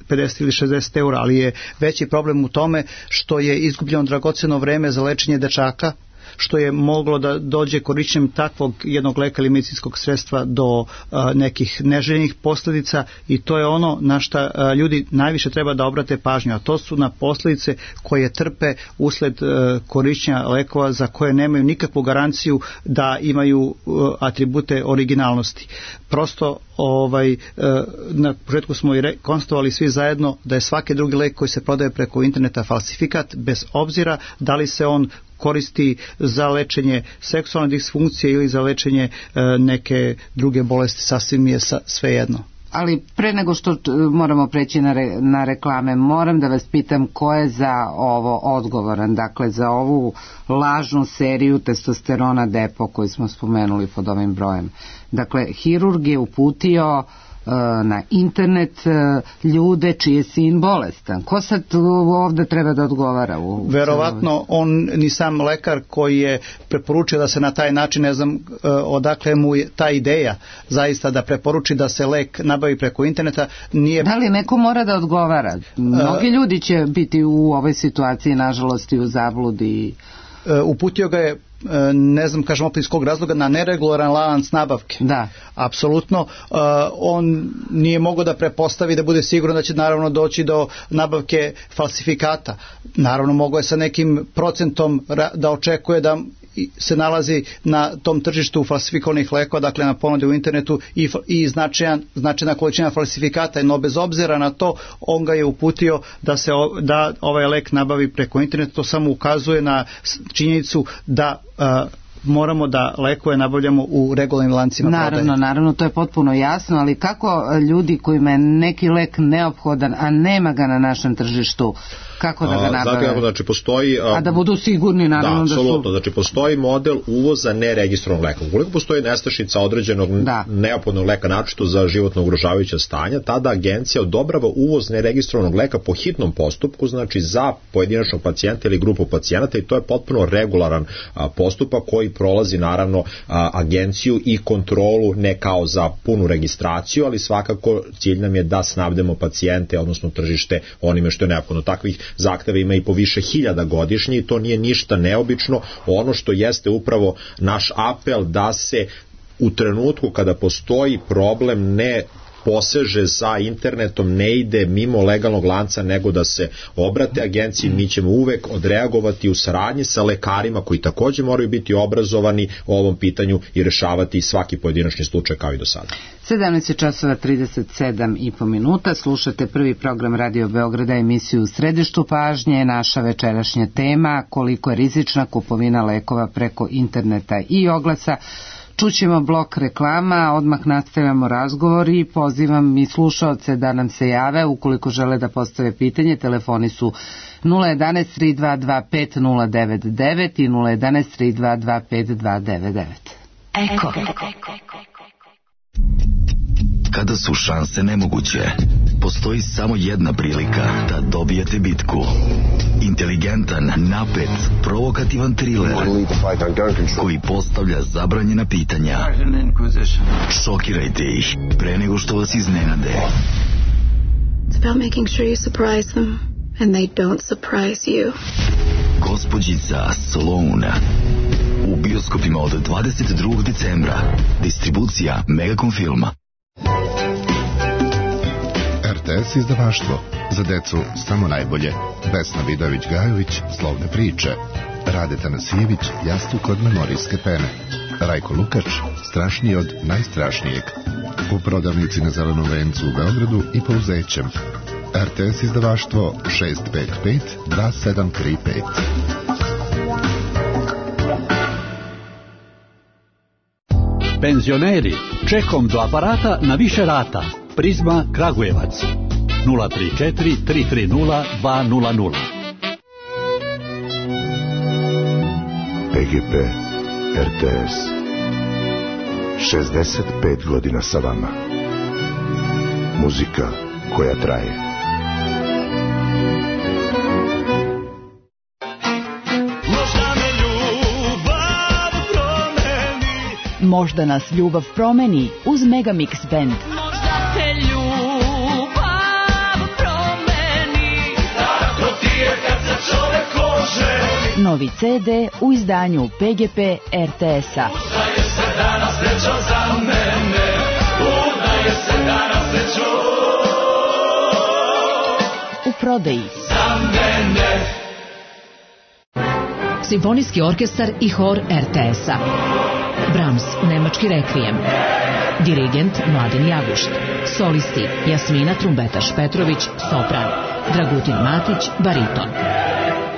pedeset ili šezdeset eura, ali je veći problem u tome što je izgubljeno dragoceno vreme za lečenje dečaka, što je moglo da dođe korišćenjem takvog jednog leka ili medicinskog sredstva do a, nekih neželjenih posljedica, i to je ono na šta a, ljudi najviše treba da obrate pažnju, a to su na posljedice koje trpe usled a, korišćenja lekova za koje nemaju nikakvu garanciju da imaju a, atribute originalnosti. Prosto ovaj, na početku smo i re, konstatovali svi zajedno da je svaki drugi lek koji se prodaje preko interneta falsifikat, bez obzira da li se on koristi za lečenje seksualne disfunkcije ili za lečenje e, neke druge bolesti, sasvim je sa, svejedno. Ali pre nego što moramo preći na, re, na reklame, moram da vas pitam ko je za ovo odgovoran, dakle za ovu lažnu seriju testosterona depo koju smo spomenuli pod ovim brojem. Dakle, hirurg je uputio na internet ljude čiji je sin bolestan. Ko sad ovde treba da odgovara? U Verovatno on ni sam lekar koji je preporučio da se na taj način, ne znam odakle mu je ta ideja zaista da preporuči da se lek nabavi preko interneta, nije... Da li neko mora da odgovara? Mnogi ljudi će biti u ovoj situaciji, nažalost, i u zabludi. Uputio ga je, ne znam, kažem opet iz kog razloga, na neregularan lanac nabavke. Da. Apsolutno. Uh, on nije mogao da prepostavi, da bude siguran da će naravno doći do nabavke falsifikata. Naravno mogao je sa nekim procentom da očekuje da se nalazi na tom tržištu falsifikovanih lekova, dakle na ponudi u internetu, i, i značajan, značajna količina falsifikata, no bez obzira na to on ga je uputio da se da ovaj lek nabavi preko interneta. To samo ukazuje na činjenicu da a, moramo da lekove nabavljamo u regularnim lancima prodaje. Naravno, naravno, to je potpuno jasno, ali kako ljudi kojima je neki lek neophodan, a nema ga na našem tržištu, kako da ga nabave? Dakle, znači postoji... A, a da budu sigurni, naravno, da, da su... Da, apsolutno, znači postoji model uvoza neregistrovanog leka. Ukoliko postoji nestašica određenog da. neophodnog leka, naročito za životno ugrožavajuća stanja, tada agencija odobrava uvoz neregistrovanog leka po hitnom postupku, znači za pojedinačnog pacijenta ili grupu pacijenata, i to je potpuno regularan a, postupak koji prolazi naravno a, agenciju i kontrolu, ne kao za punu registraciju, ali svakako cilj nam je da snabdemo pacijente, odnosno tržište, onime što je neophodno. Takvih zahteva ima i po više hiljada godišnje i to nije ništa neobično. Ono što jeste upravo naš apel da se u trenutku kada postoji problem ne poseže za internetom, ne ide mimo legalnog lanca, nego da se obrate agenciji. Mi ćemo uvek odreagovati u saradnji sa lekarima koji takođe moraju biti obrazovani o ovom pitanju i rešavati svaki pojedinačni slučaj kao i do sada. sedamnaest časova trideset sedam i po minuta, slušate prvi program Radio Beograda, emisiju U središtu pažnje. Naša večerašnja tema: koliko je rizična kupovina lekova preko interneta i oglasa. Čućemo blok reklama, odmah nastavljamo razgovor i pozivam i slušaoce da nam se jave ukoliko žele da postave pitanje. Telefoni su nula jedan tri dva dva pet nula devet devet i nula jedan tri dva dva pet dva devet devet. Eko. Kada su šanse nemoguće, postoji samo jedna prilika da dobijete bitku. Inteligentan, napet, provokativan thriller koji postavlja zabranjena pitanja. Šokirajte ih pre nego što vas iznenade. It's about making sure you surprise them and they don't surprise you. Gospođica Sloane u bioskopima od dvadeset drugog decembra. Distribucija Megacom Filma. R T S izdavaštvo. Za decu samo najbolje. Vesna Vidović-Gajović, Slovne priče. Rade Tanasijević, Jastuk od memorijske pene. Rajko Lukač, Strašniji od najstrašnijeg. U prodavnici na Zelenom vencu u Beogradu i Pouzećem. R T S izdavaštvo šest pet pet dva sedam tri pet. Penzioneri, čekom do aparata na više rata. Prizma Kragujevac. nula tri četiri tri tri nula dva nula nula. P G P R T S šezdeset pet godina sa vama. Muzika koja traje. Možda nas ljubav promeni uz Megamix Band. Možda te ljubav promeni, tako ti je kad se čovek oženi. Novi C D u izdanju P G P R T S-a. Udaje se danas srećom za mene, udaje se danas srećom u prodaji. Za mene. Simfonijski orkestar i hor R T S-a. Brahms, nemački rekvijem. Dirigent Mladen Jagušt. Solisti Jasmina Trumbetaš-Petrović, sopran. Dragutin Matić, bariton.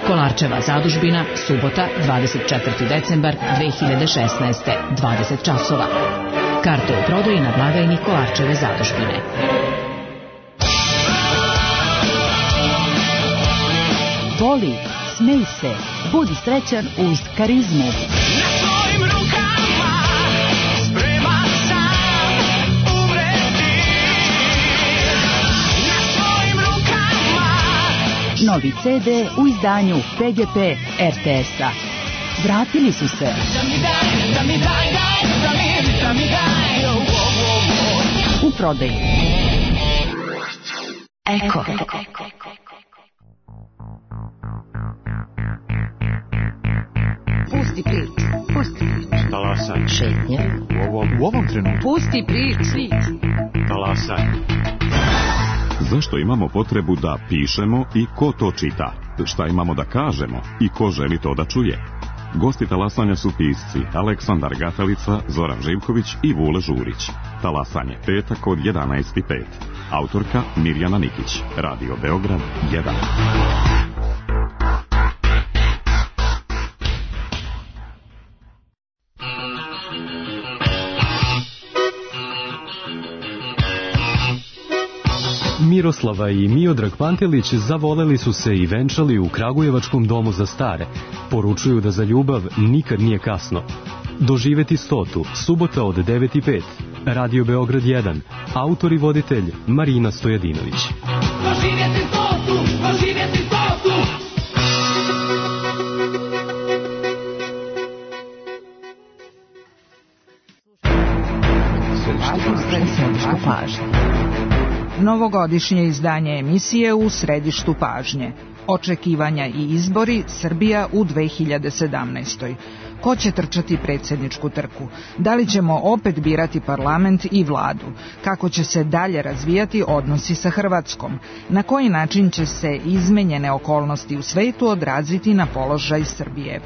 Kolarčeva zadužbina, subota, dvadeset četvrti decembar dve hiljade šesnaeste, dvadeset časova. Karte u prodaji na blagajni Kolarčeve zadužbine. Voli, smej se, budi srećan uz Karizmu. Na svojim rukama spreman sam umreti. Na svojim rukama. Novi C D u izdanju P G P R T S-a. Vratili su se. Da mi daj, da mi daj, daj, da mi, da mi daj. Oh, oh, oh. U prodaji. Eko. Pusti priču, pusti priču. Talasaj. Šetnja. U ovom, u ovom trenutku. Pusti priču. Talasaj. Zašto imamo potrebu da pišemo i ko to čita? Šta imamo da kažemo i ko želi to da čuje? Gosti talasanja su pisci Aleksandar Gatalica, Zoran Živković i Vule Žurić. Talasanje petak od jedanaest i pet. Autorka Mirjana Nikić. Radio Beograd jedan. Miroslava i Miodrag Pantelić zavoleli su se i venčali u Kragujevačkom domu za stare. Poručuju da za ljubav nikad nije kasno. Doživeti stotu, subota od devet i pet. Radio Beograd jedan. Autor i voditelj Marina Stojadinović. Doživjeti stotu, doživjeti stotu. Središtu pažnje. Novogodišnje izdanje emisije u središtu pažnje. Očekivanja i izbori Srbija u dve hiljade sedamnaestoj. Ko će trčati predsjedničku trku? Da li ćemo opet birati parlament i vladu? Kako će se dalje razvijati odnosi sa Hrvatskom? Na koji način će se izmenjene okolnosti u svetu odraziti na položaj Srbije?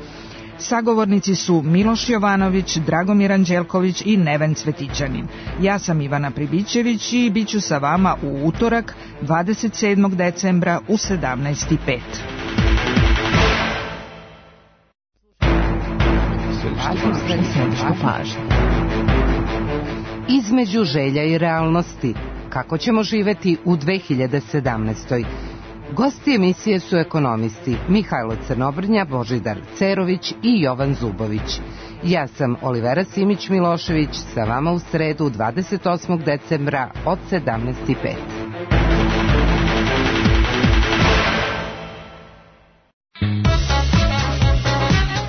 Sagovornici su Miloš Jovanović, Dragomir Anđelković i Neven Cvetićanin. Ja sam Ivana Pribićević i bit ću sa vama u utorak dvadeset sedmog decembra u sedamnaest i pet. Između želja i realnosti. Kako ćemo živeti u dve hiljade sedamnaestoj. Gosti emisije su ekonomisti Mihajlo Crnobrnja, Božidar Cerović i Jovan Zubović. Ja sam Olivera Simić-Milošević, sa vama u sredu dvadeset osmog decembra od sedamnaest i pet.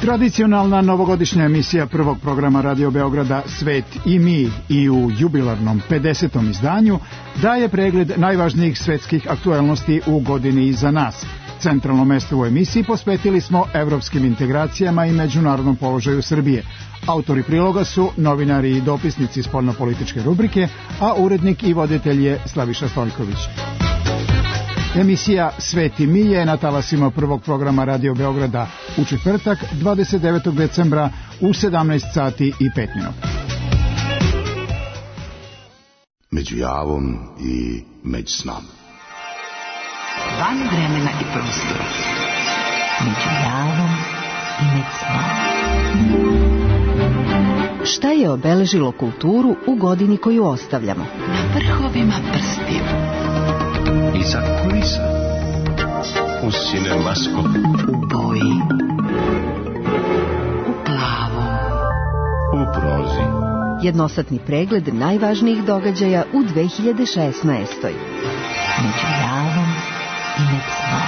Tradicionalna novogodišnja emisija prvog programa Radio Beograda Svet i mi i u jubilarnom pedesetom izdanju daje pregled najvažnijih svetskih aktuelnosti u godini iza nas. Centralno mesto u emisiji posvetili smo evropskim integracijama i međunarodnom položaju Srbije. Autori priloga su novinari i dopisnici spoljnopolitičke rubrike, a urednik i voditelj je Slaviša Stoljković. Emisija Svet i mi je na talasima prvog programa Radio Beograda u četvrtak dvadeset devetog decembra u sedamnaest sati i pet minuta. Među javom i među snom. Van vremena i prostora. Među javom i među snom. Šta je obeležilo kulturu u godini koju ostavljamo? Na vrhovima prstiju Iza kulisa. U Cinemaskop. U boji. U plavom. U prozi. Jednosatni pregled najvažnijih događaja u dve hiljade šesnaestoj. Među javom i med snom.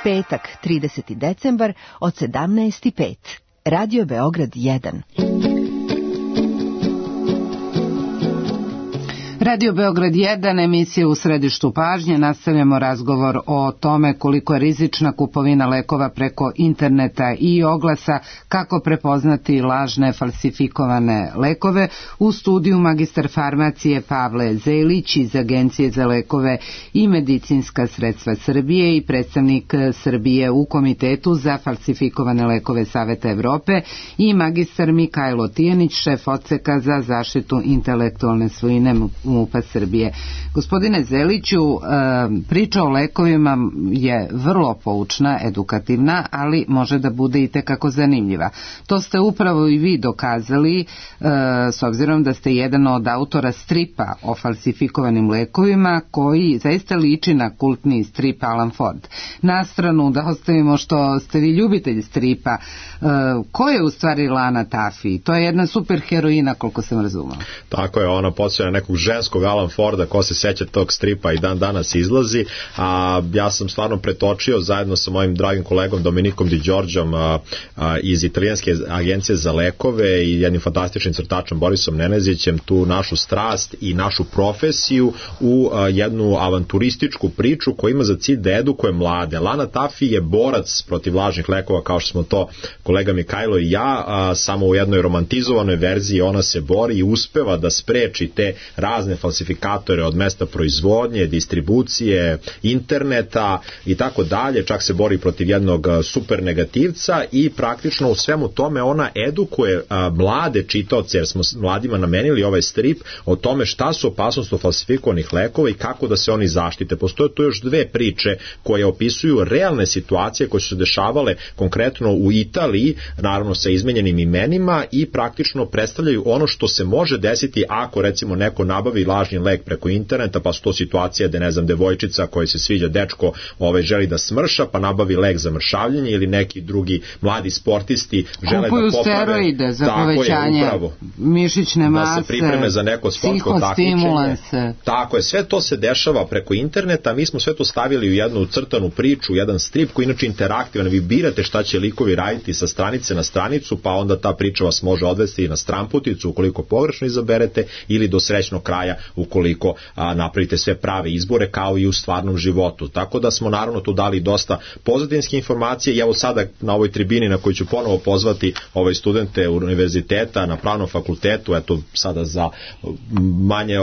Petak, trideseti decembar od sedamnaest i pet. Radio Beograd jedan. Radio Beograd jedan, emisija U središtu pažnje. Nastavljamo razgovor o tome koliko je rizična kupovina lekova preko interneta i oglasa, kako prepoznati lažne falsifikovane lekove. U studiju magistar farmacije Pavle Zelić iz Agencije za lekove i medicinska sredstva Srbije i predstavnik Srbije u Komitetu za falsifikovane lekove Saveta Evrope i magistar Mikajlo Tijanić, šef odseka za zaštitu intelektualne svojine MUP-a Srbije. Gospodine Zeliću, priča o lekovima je vrlo poučna, edukativna, ali može da bude i tekako zanimljiva. To ste upravo i vi dokazali, s obzirom da ste jedan od autora stripa o falsifikovanim lekovima, koji zaista liči na kultni strip Alan Ford. Na stranu da ostavimo što ste vi ljubitelj stripa, ko je u stvari Lana Taffy? To je jedna super heroina, koliko sam razumela. Tako je, ona podsjeća nekog ženskog Alan Forda, ko se seća tog stripa i dan danas izlazi, a ja sam stvarno pretočio zajedno sa mojim dragim kolegom Dominikom Di Đorđom a, a, iz Italijanske agencije za lekove i jednim fantastičnim crtačom Borisom Nenezićem tu našu strast i našu profesiju u a, jednu avanturističku priču koja ima za cilj da edukuje mlade. Lana Taffy je borac protiv lažnih lekova, kao što smo to kolega Mikajlo i ja, a, samo u jednoj romantizovanoj verziji ona se bori i uspeva da spreči te razne falsifikatore od mesta proizvodnje, distribucije, interneta i tako dalje, čak se bori protiv jednog super negativca i praktično u svemu tome ona edukuje a, mlade čitaoce, jer smo mladima namenili ovaj strip o tome šta su opasnosti od falsifikovanih lekova i kako da se oni zaštite. Postoje tu još dve priče koje opisuju realne situacije koje su se dešavale konkretno u Italiji, naravno sa izmenjenim imenima, i praktično predstavljaju ono što se može desiti ako recimo neko nabavi lažni lek preko interneta, pa su to situacije da ne znam, devojčica koja se sviđa dečko ovaj, želi da smrša, pa nabavi lek za mršavljenje, ili neki drugi mladi sportisti žele kupuju da poprave steroide za povećanje je, mišićne mase, da se pripreme za neko sportsko takmičenje. Tako je, sve to se dešava preko interneta. Mi smo sve to stavili u jednu crtanu priču, jedan strip koji inače interaktivan. Vi birate šta će likovi raditi sa stranice na stranicu, pa onda ta priča vas može odvesti na stranputicu ukoliko pogrešno izaberete, ili do srećnog kraja ukoliko a, napravite sve prave izbore, kao i u stvarnom životu. Tako da smo naravno tu dali dosta pozadinske informacije i evo sada na ovoj tribini na kojoj ću ponovo pozvati ove studente univerziteta na pravnom fakultetu, eto sada za manje,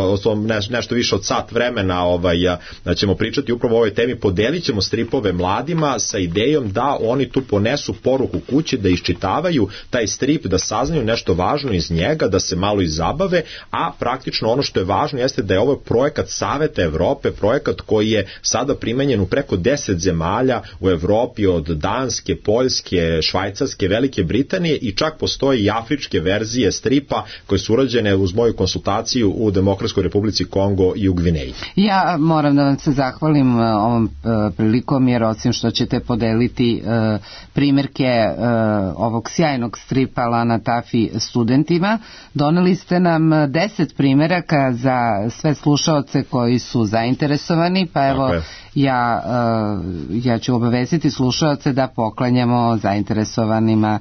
ne, nešto više od sat vremena ovaj, da ćemo pričati upravo o ovoj temi, podelit ćemo stripove mladima sa idejom da oni tu ponesu poruku kući, da iščitavaju taj strip, da saznaju nešto važno iz njega, da se malo izabave, a praktično ono što je važno jeste da je ovo projekat Saveta Evrope, projekat koji je sada primenjen u preko deset zemalja u Evropi, od Danske, Poljske, Švajcarske, Velike Britanije, i čak postoje i afričke verzije stripa koje su urađene uz moju konsultaciju u Demokratskoj Republici Kongo i u Gvineji. Ja moram da vam se zahvalim ovom prilikom, jer osim što ćete podeliti primjerke ovog sjajnog stripa Lana Taffy studentima, doneli ste nam deset primjeraka za sve slušaoce koji su zainteresovani, pa evo ja, ja ću obavestiti slušaoce da poklanjamo zainteresovanima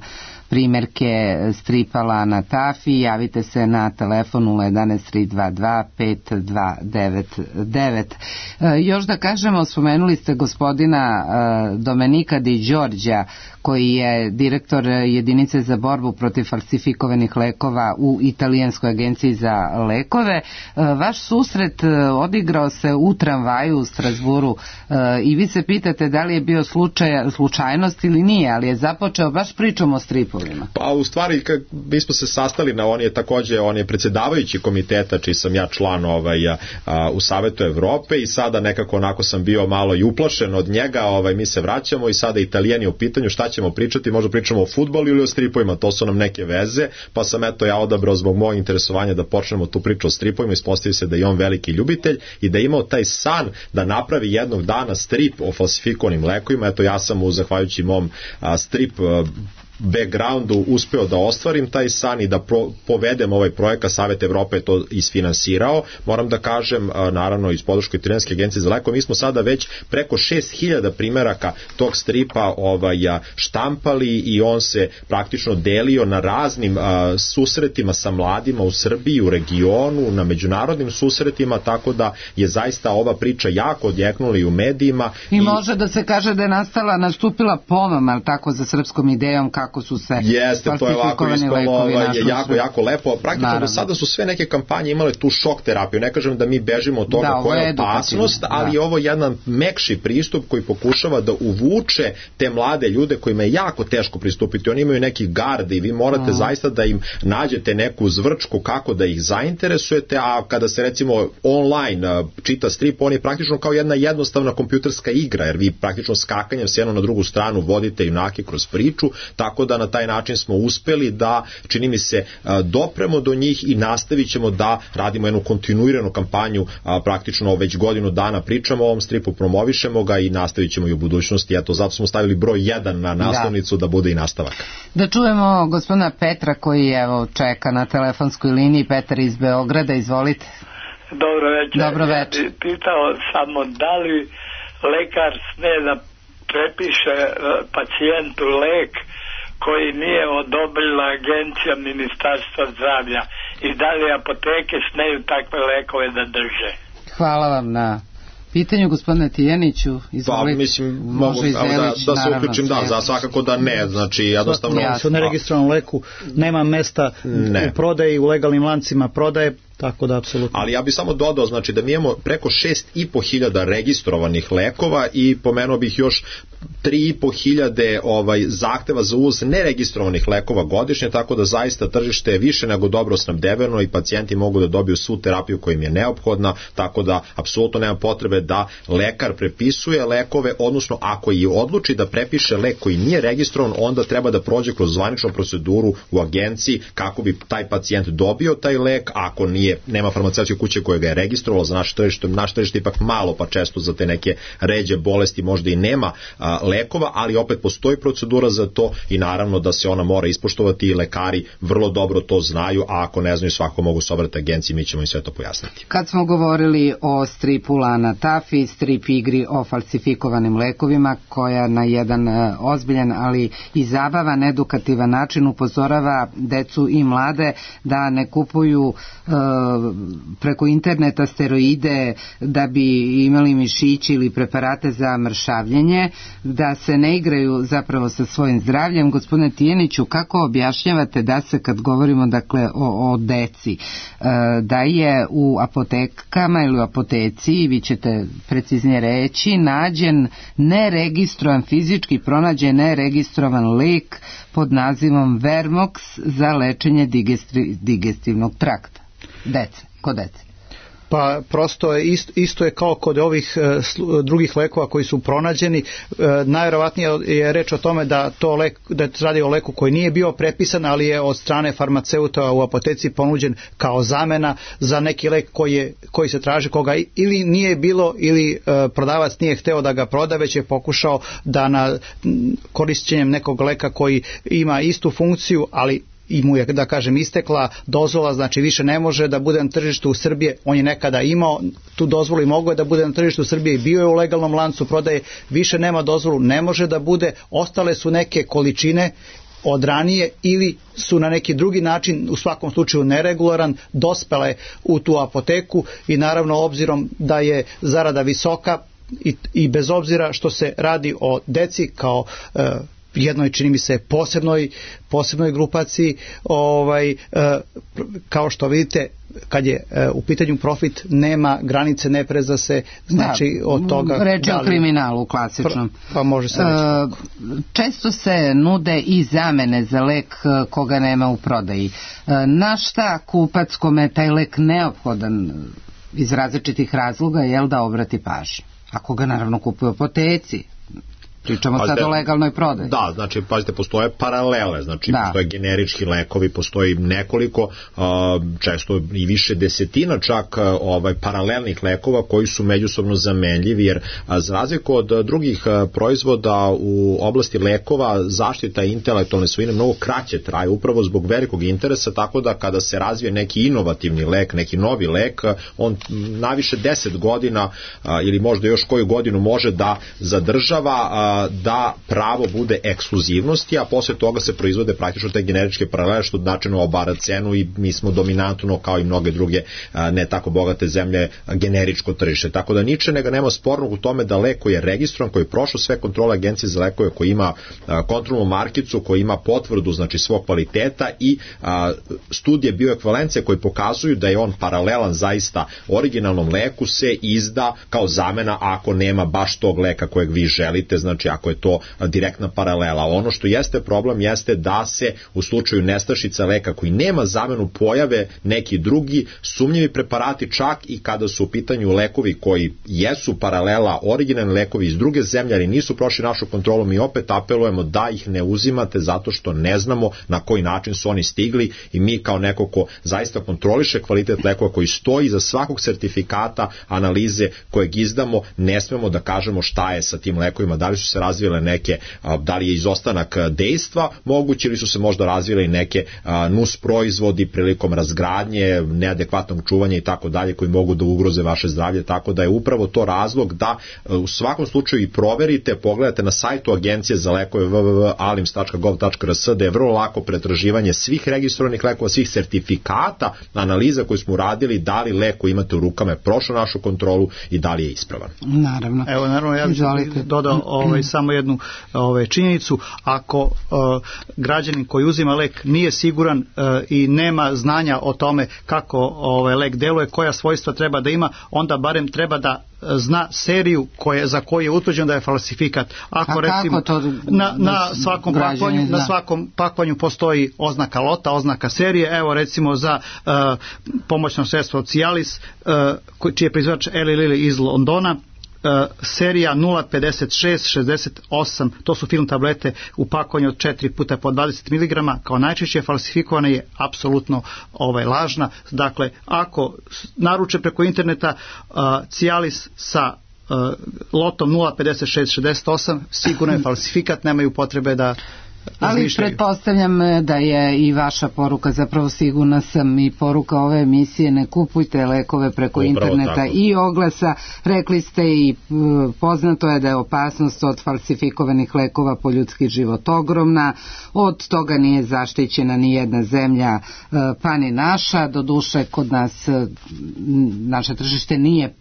primjerke stripa Lana Taffy. Javite se na telefon nula jedanaest tri dva dva pet dva devet devet. Još da kažemo, spomenuli ste gospodina Domenika Di Đorđa, koji je direktor jedinice za borbu protiv falsifikovanih lekova u Italijanskoj agenciji za lekove. Vaš susret odigrao se u tramvaju u Strasburu i vi se pitate da li je bio slučaj, slučajnost ili nije, ali je započeo baš pričom o stripu. stripovima? Pa u stvari mi smo se sastali na, on je takođe, on je predsjedavajući komiteta čiji sam ja član ovaj, a, a, u Savetu Evrope i sada nekako onako sam bio malo i uplašen od njega, ovaj, mi se vraćamo i sada Italijan je u pitanju šta ćemo pričati, možda pričamo o fudbalu ili o stripovima, to su nam neke veze, pa sam eto ja odabrao zbog mojeg interesovanja da počnemo tu priču o stripovima, ispostavi se da je on veliki ljubitelj i da je imao taj san da napravi jednog dana strip o falsifikovanim lekovima. Eto ja sam mu zahvaljujući mom a, strip a, backgroundu uspeo da ostvarim taj san i da pro, povedem ovaj projekat. Savet Evrope je to isfinansirao. Moram da kažem, naravno iz podrške Italijanske agencije za lekove, mi smo sada već preko šest hiljada primeraka tog stripa ovaj, štampali i on se praktično delio na raznim a, susretima sa mladima u Srbiji, u regionu, na međunarodnim susretima, tako da je zaista ova priča jako odjeknula i u medijima. I, i može da se kaže da je nastala, nastupila pomama, ali tako, za srpskom idejom kako su se Jeste, to je ovako ispalo, ovaj, je jako, sve. jako lepo. Praktično Naravno. do sada su sve neke kampanje imale tu šok terapiju. Ne kažem da mi bežimo od toga da, koja je opasnost, ali da. je ovo jedan mekši pristup koji pokušava da uvuče te mlade ljude kojima je jako teško pristupiti. Oni imaju neki garde i vi morate mm. zaista da im nađete neku zvrčku kako da ih zainteresujete, a kada se recimo online čita strip, on je praktično kao jedna jednostavna kompjuterska igra, jer vi praktično skakanjem s jednu na drugu stranu vodite junake kroz priču, tako da na taj način smo uspeli da, čini mi se, dopremo do njih i nastavit ćemo da radimo jednu kontinuiranu kampanju, praktično već godinu dana pričamo o ovom stripu, promovišemo ga i nastavit ćemo i u budućnosti. Eto, zato smo stavili broj jedan na naslovnicu da, da bude i nastavak. Da čujemo gospodina Petra koji evo čeka na telefonskoj liniji. Petar iz Beograda, izvolite. Dobro večer. Dobro večer. Ja pitao samo da li lekar sme da prepiše pacijentu lek koji nije odobrila agencija Ministarstva zdravlja i da li apoteke smeju takve lekove da drže? Hvala vam na pitanju, gospodine Tijaniću. Izvolite. Pa, mislim, mogu da, da se uključim, da, za svakako da ne, znači jednostavno... U neregistrovanom leku nema mesta ne. u prodaji, u legalnim lancima prodaje, tako da apsolutno. Ali ja bih samo dodao, znači da mi imamo preko šest i po hiljada registrovanih lekova i pomenuo bih još tri i po hiljade ovaj, zahteva za uvoz neregistrovanih lekova godišnje, tako da zaista tržište je više nego dobro snabdeveno i pacijenti mogu da dobiju svu terapiju koja im je neophodna, tako da apsolutno nema potrebe da lekar prepisuje lekove, odnosno ako i odluči da prepiše lek koji nije registrovan, onda treba da prođe kroz zvaničnu proceduru u agenciji kako bi taj pacijent dobio taj lek. Ako nije, nema farmaceutske kuće koja ga je registrovala za naše tržište, naše tržište ipak malo, pa često za te neke ređe bolesti možda i nema a, lekova, ali opet postoji procedura za to i naravno da se ona mora ispoštovati i lekari vrlo dobro to znaju, a ako ne znaju svako mogu se obratiti agenciji, mi ćemo im sve to pojasniti. Kad smo govorili o stripu Lana Tafi, strip igri o falsifikovanim lekovima, koja na jedan uh, ozbiljan, ali i zabavan, edukativan način upozorava decu i mlade da ne kupuju uh, preko interneta steroide da bi imali mišići ili preparate za mršavljenje, da se ne igraju zapravo sa svojim zdravljem. Gospodine Tijaniću, kako objašnjavate da se, kad govorimo dakle o, o deci, da je u apotekama ili u apoteci, vi ćete preciznije reći, nađen neregistrovan, fizički pronađen neregistrovan lek pod nazivom Vermox za lečenje digestri, digestivnog trakta dece, kod dece? Pa prosto je isto, isto je kao kod ovih e, slu, drugih lekova koji su pronađeni. E, najvjerovatnije je reč o tome da to lek, da se radi o leku koji nije bio prepisan, ali je od strane farmaceuta u apoteci ponuđen kao zamena za neki lek koji, je, koji se traži, koga ili nije bilo ili e, prodavac nije hteo da ga proda, već je pokušao da na korišćenjem nekog leka koji ima istu funkciju, ali i mu je, da kažem, istekla dozvola, znači više ne može da bude na tržištu Srbije. On je nekada imao tu dozvolu i mogao je da bude na tržištu Srbije i bio je u legalnom lancu prodaje, više nema dozvolu, ne može da bude, ostale su neke količine od ranije ili su na neki drugi način, u svakom slučaju neregularan, dospele u tu apoteku i naravno obzirom da je zarada visoka i, i bez obzira što se radi o deci kao e, jednoj, čini mi se, posebnoj, posebnoj grupaciji, ovaj, kao što vidite, kad je u pitanju profit, nema granice, ne preza se, znači da, od toga... Reč je o kriminalu klasičnom. Pa može se reći. Često se nude i zamene za lek koga nema u prodaji. Na šta kupac kome je taj lek neophodan iz različitih razloga, jel da obrati pažnju? Ako ga naravno kupuje u apoteci. Pričamo pazite, sad o legalnoj prodaji. Da, znači, pazite, postoje paralele, znači, da. Postoje generički lekovi, postoji nekoliko, često i više desetina čak ovaj, paralelnih lekova koji su međusobno zamenljivi, jer za razliku od drugih proizvoda u oblasti lekova, zaštita intelektualne svojine mnogo kraće traje, upravo zbog velikog interesa, tako da kada se razvije neki inovativni lek, neki novi lek, on naviše deset godina ili možda još koju godinu može da zadržava da pravo bude ekskluzivnosti, a posle toga se proizvode praktično te generičke paralele, što značajno obara cenu i mi smo dominantno, kao i mnoge druge ne tako bogate zemlje, generičko tržište. Tako da niče nego nema spornog u tome da lek koji je registrovan, koji je prošao sve kontrole agencije za lekove, koji ima kontrolnu markicu, koji ima potvrdu, znači, svog kvaliteta i a, studije bioekvivalencije koji pokazuju da je on paralelan zaista originalnom leku, se izda kao zamena ako nema baš tog leka kojeg vi želite, znači ako je to direktna paralela. Ono što jeste problem jeste da se u slučaju nestašica leka koji nema zamenu pojave neki drugi sumnjivi preparati, čak i kada su u pitanju lekovi koji jesu paralela, originalni lekovi iz druge zemlje, ali nisu prošli našu kontrolu. Mi opet apelujemo da ih ne uzimate zato što ne znamo na koji način su oni stigli i mi kao neko ko zaista kontroliše kvalitet lekova, koji stoji za svakog sertifikata analize kojeg izdamo, ne smemo da kažemo šta je sa tim lekovima, da li su se razvile neke, da li je izostanak dejstva moguće ili su se možda razvile i neke nus proizvodi prilikom razgradnje, neadekvatnog čuvanja i tako dalje, koji mogu da ugroze vaše zdravlje, tako da je upravo to razlog da u svakom slučaju i proverite, pogledate na sajtu Agencije za lekove w w w tačka alims tačka gov tačka r s, da je vrlo lako pretraživanje svih registrovanih lekova, svih sertifikata, analiza koju smo uradili, da li lek koji imate u rukama je prošao našu kontrolu i da li je ispravan. Naravno. Evo, naravno, ja bih dodao ovaj, samo jednu ovaj, činjenicu. Ako uh, građanin koji uzima lek nije siguran uh, i nema znanja o tome kako ovaj, lek deluje, koja svojstva treba da ima, onda barem treba da zna seriju koje, za koju je utvrđeno da je falsifikat. Ako, recimo, na, na, svakom pakovanju, na svakom pakovanju postoji oznaka lota, oznaka serije, evo recimo za uh, pomoćno sredstvo Cialis, uh, čiji je proizvođač Eli Lilly iz Londona, Uh, serija nula pedeset šest šezdeset osam, to su film tablete u pakovanju od četiri puta po dvadeset miligrama, kao najčešće falsifikovana je apsolutno ovaj, lažna. Dakle, ako naruče preko interneta uh, Cialis sa uh, lotom nula pedeset šest šezdeset osam, sigurno je falsifikat, nemaju potrebe da ali pretpostavljam da je i vaša poruka, zapravo sigurna sam i poruka ove emisije, ne kupujte lekove preko upravo interneta tako. I oglasa. Rekli ste i poznato je da je opasnost od falsifikovanih lekova po ljudski život ogromna, od toga nije zaštićena ni jedna zemlja pa ni naša, doduše kod nas naše tržište nije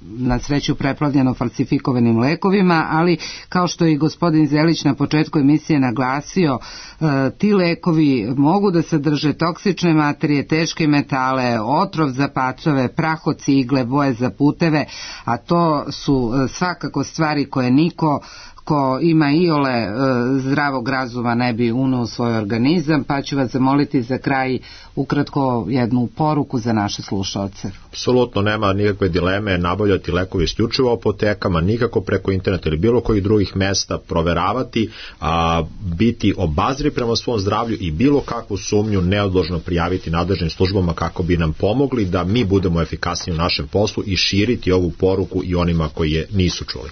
na sreću preplavljeno falsifikovanim lekovima, ali kao što je i gospodin Zelić na početku emisije naglasio, e, ti lekovi mogu da sadrže toksične materije, teške metale, otrov za pacove, prah od cigle, boje za puteve, a to su e, svakako stvari koje niko ko ima iole e, zdravog razuma ne bi uneo u svoj organizam, pa ću vas zamoliti za kraj ukratko jednu poruku za naše slušalce. Apsolutno nema nikakve dileme, nabavljati lekovi isključivo u apotekama, nikako preko interneta ili bilo kojih drugih mesta, proveravati, a, biti obazri prema svom zdravlju i bilo kakvu sumnju neodložno prijaviti nadležnim službama kako bi nam pomogli da mi budemo efikasniji u našem poslu i širiti ovu poruku i onima koji je nisu čuli.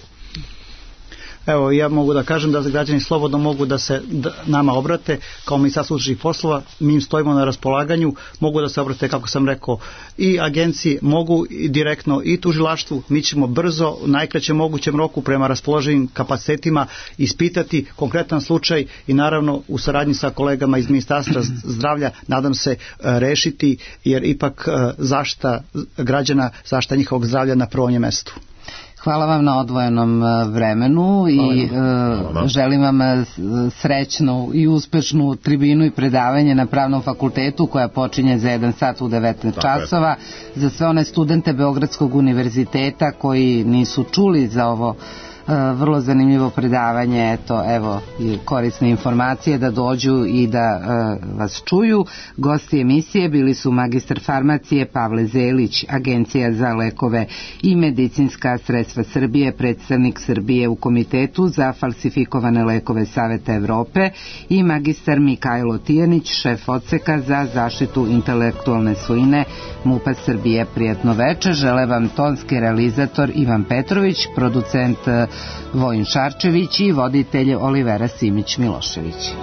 Evo, ja mogu da kažem da građani slobodno mogu da se da, nama obrate kao Ministarstvo unutrašnjih poslova, mi im stojimo na raspolaganju, mogu da se obrate, kako sam rekao, i agenciji, mogu i direktno i tužilaštvu, mi ćemo brzo, u najkraćem mogućem roku prema raspoloženim kapacitetima ispitati konkretan slučaj i naravno u saradnji sa kolegama iz Ministarstva zdravlja nadam se rešiti, jer ipak zaštita građana, zaštita njihovog zdravlja na prvom je mestu. Hvala vam na odvojenom vremenu i e, želim vam srećnu i uspešnu tribinu i predavanje na Pravnom fakultetu koja počinje za jedan sat u devetnaest časova. Za sve one studente Beogradskog univerziteta koji nisu čuli za ovo vrlo zanimljivo predavanje, eto, evo, korisne informacije da dođu i da uh, vas čuju. Gosti emisije bili su magistar farmacije Pavle Zelić, Agencija za lekove i medicinska sredstva Srbije, predstavnik Srbije u Komitetu za falsifikovane lekove Saveta Evrope, i magistar Mikajlo Tijanić, šef odseka za zaštitu intelektualne svojine MUP-a Srbije. Prijatno večer, žele vam tonski realizator Ivan Petrović, producent Vojin Šarčević i voditelj Olivera Simić Milošević.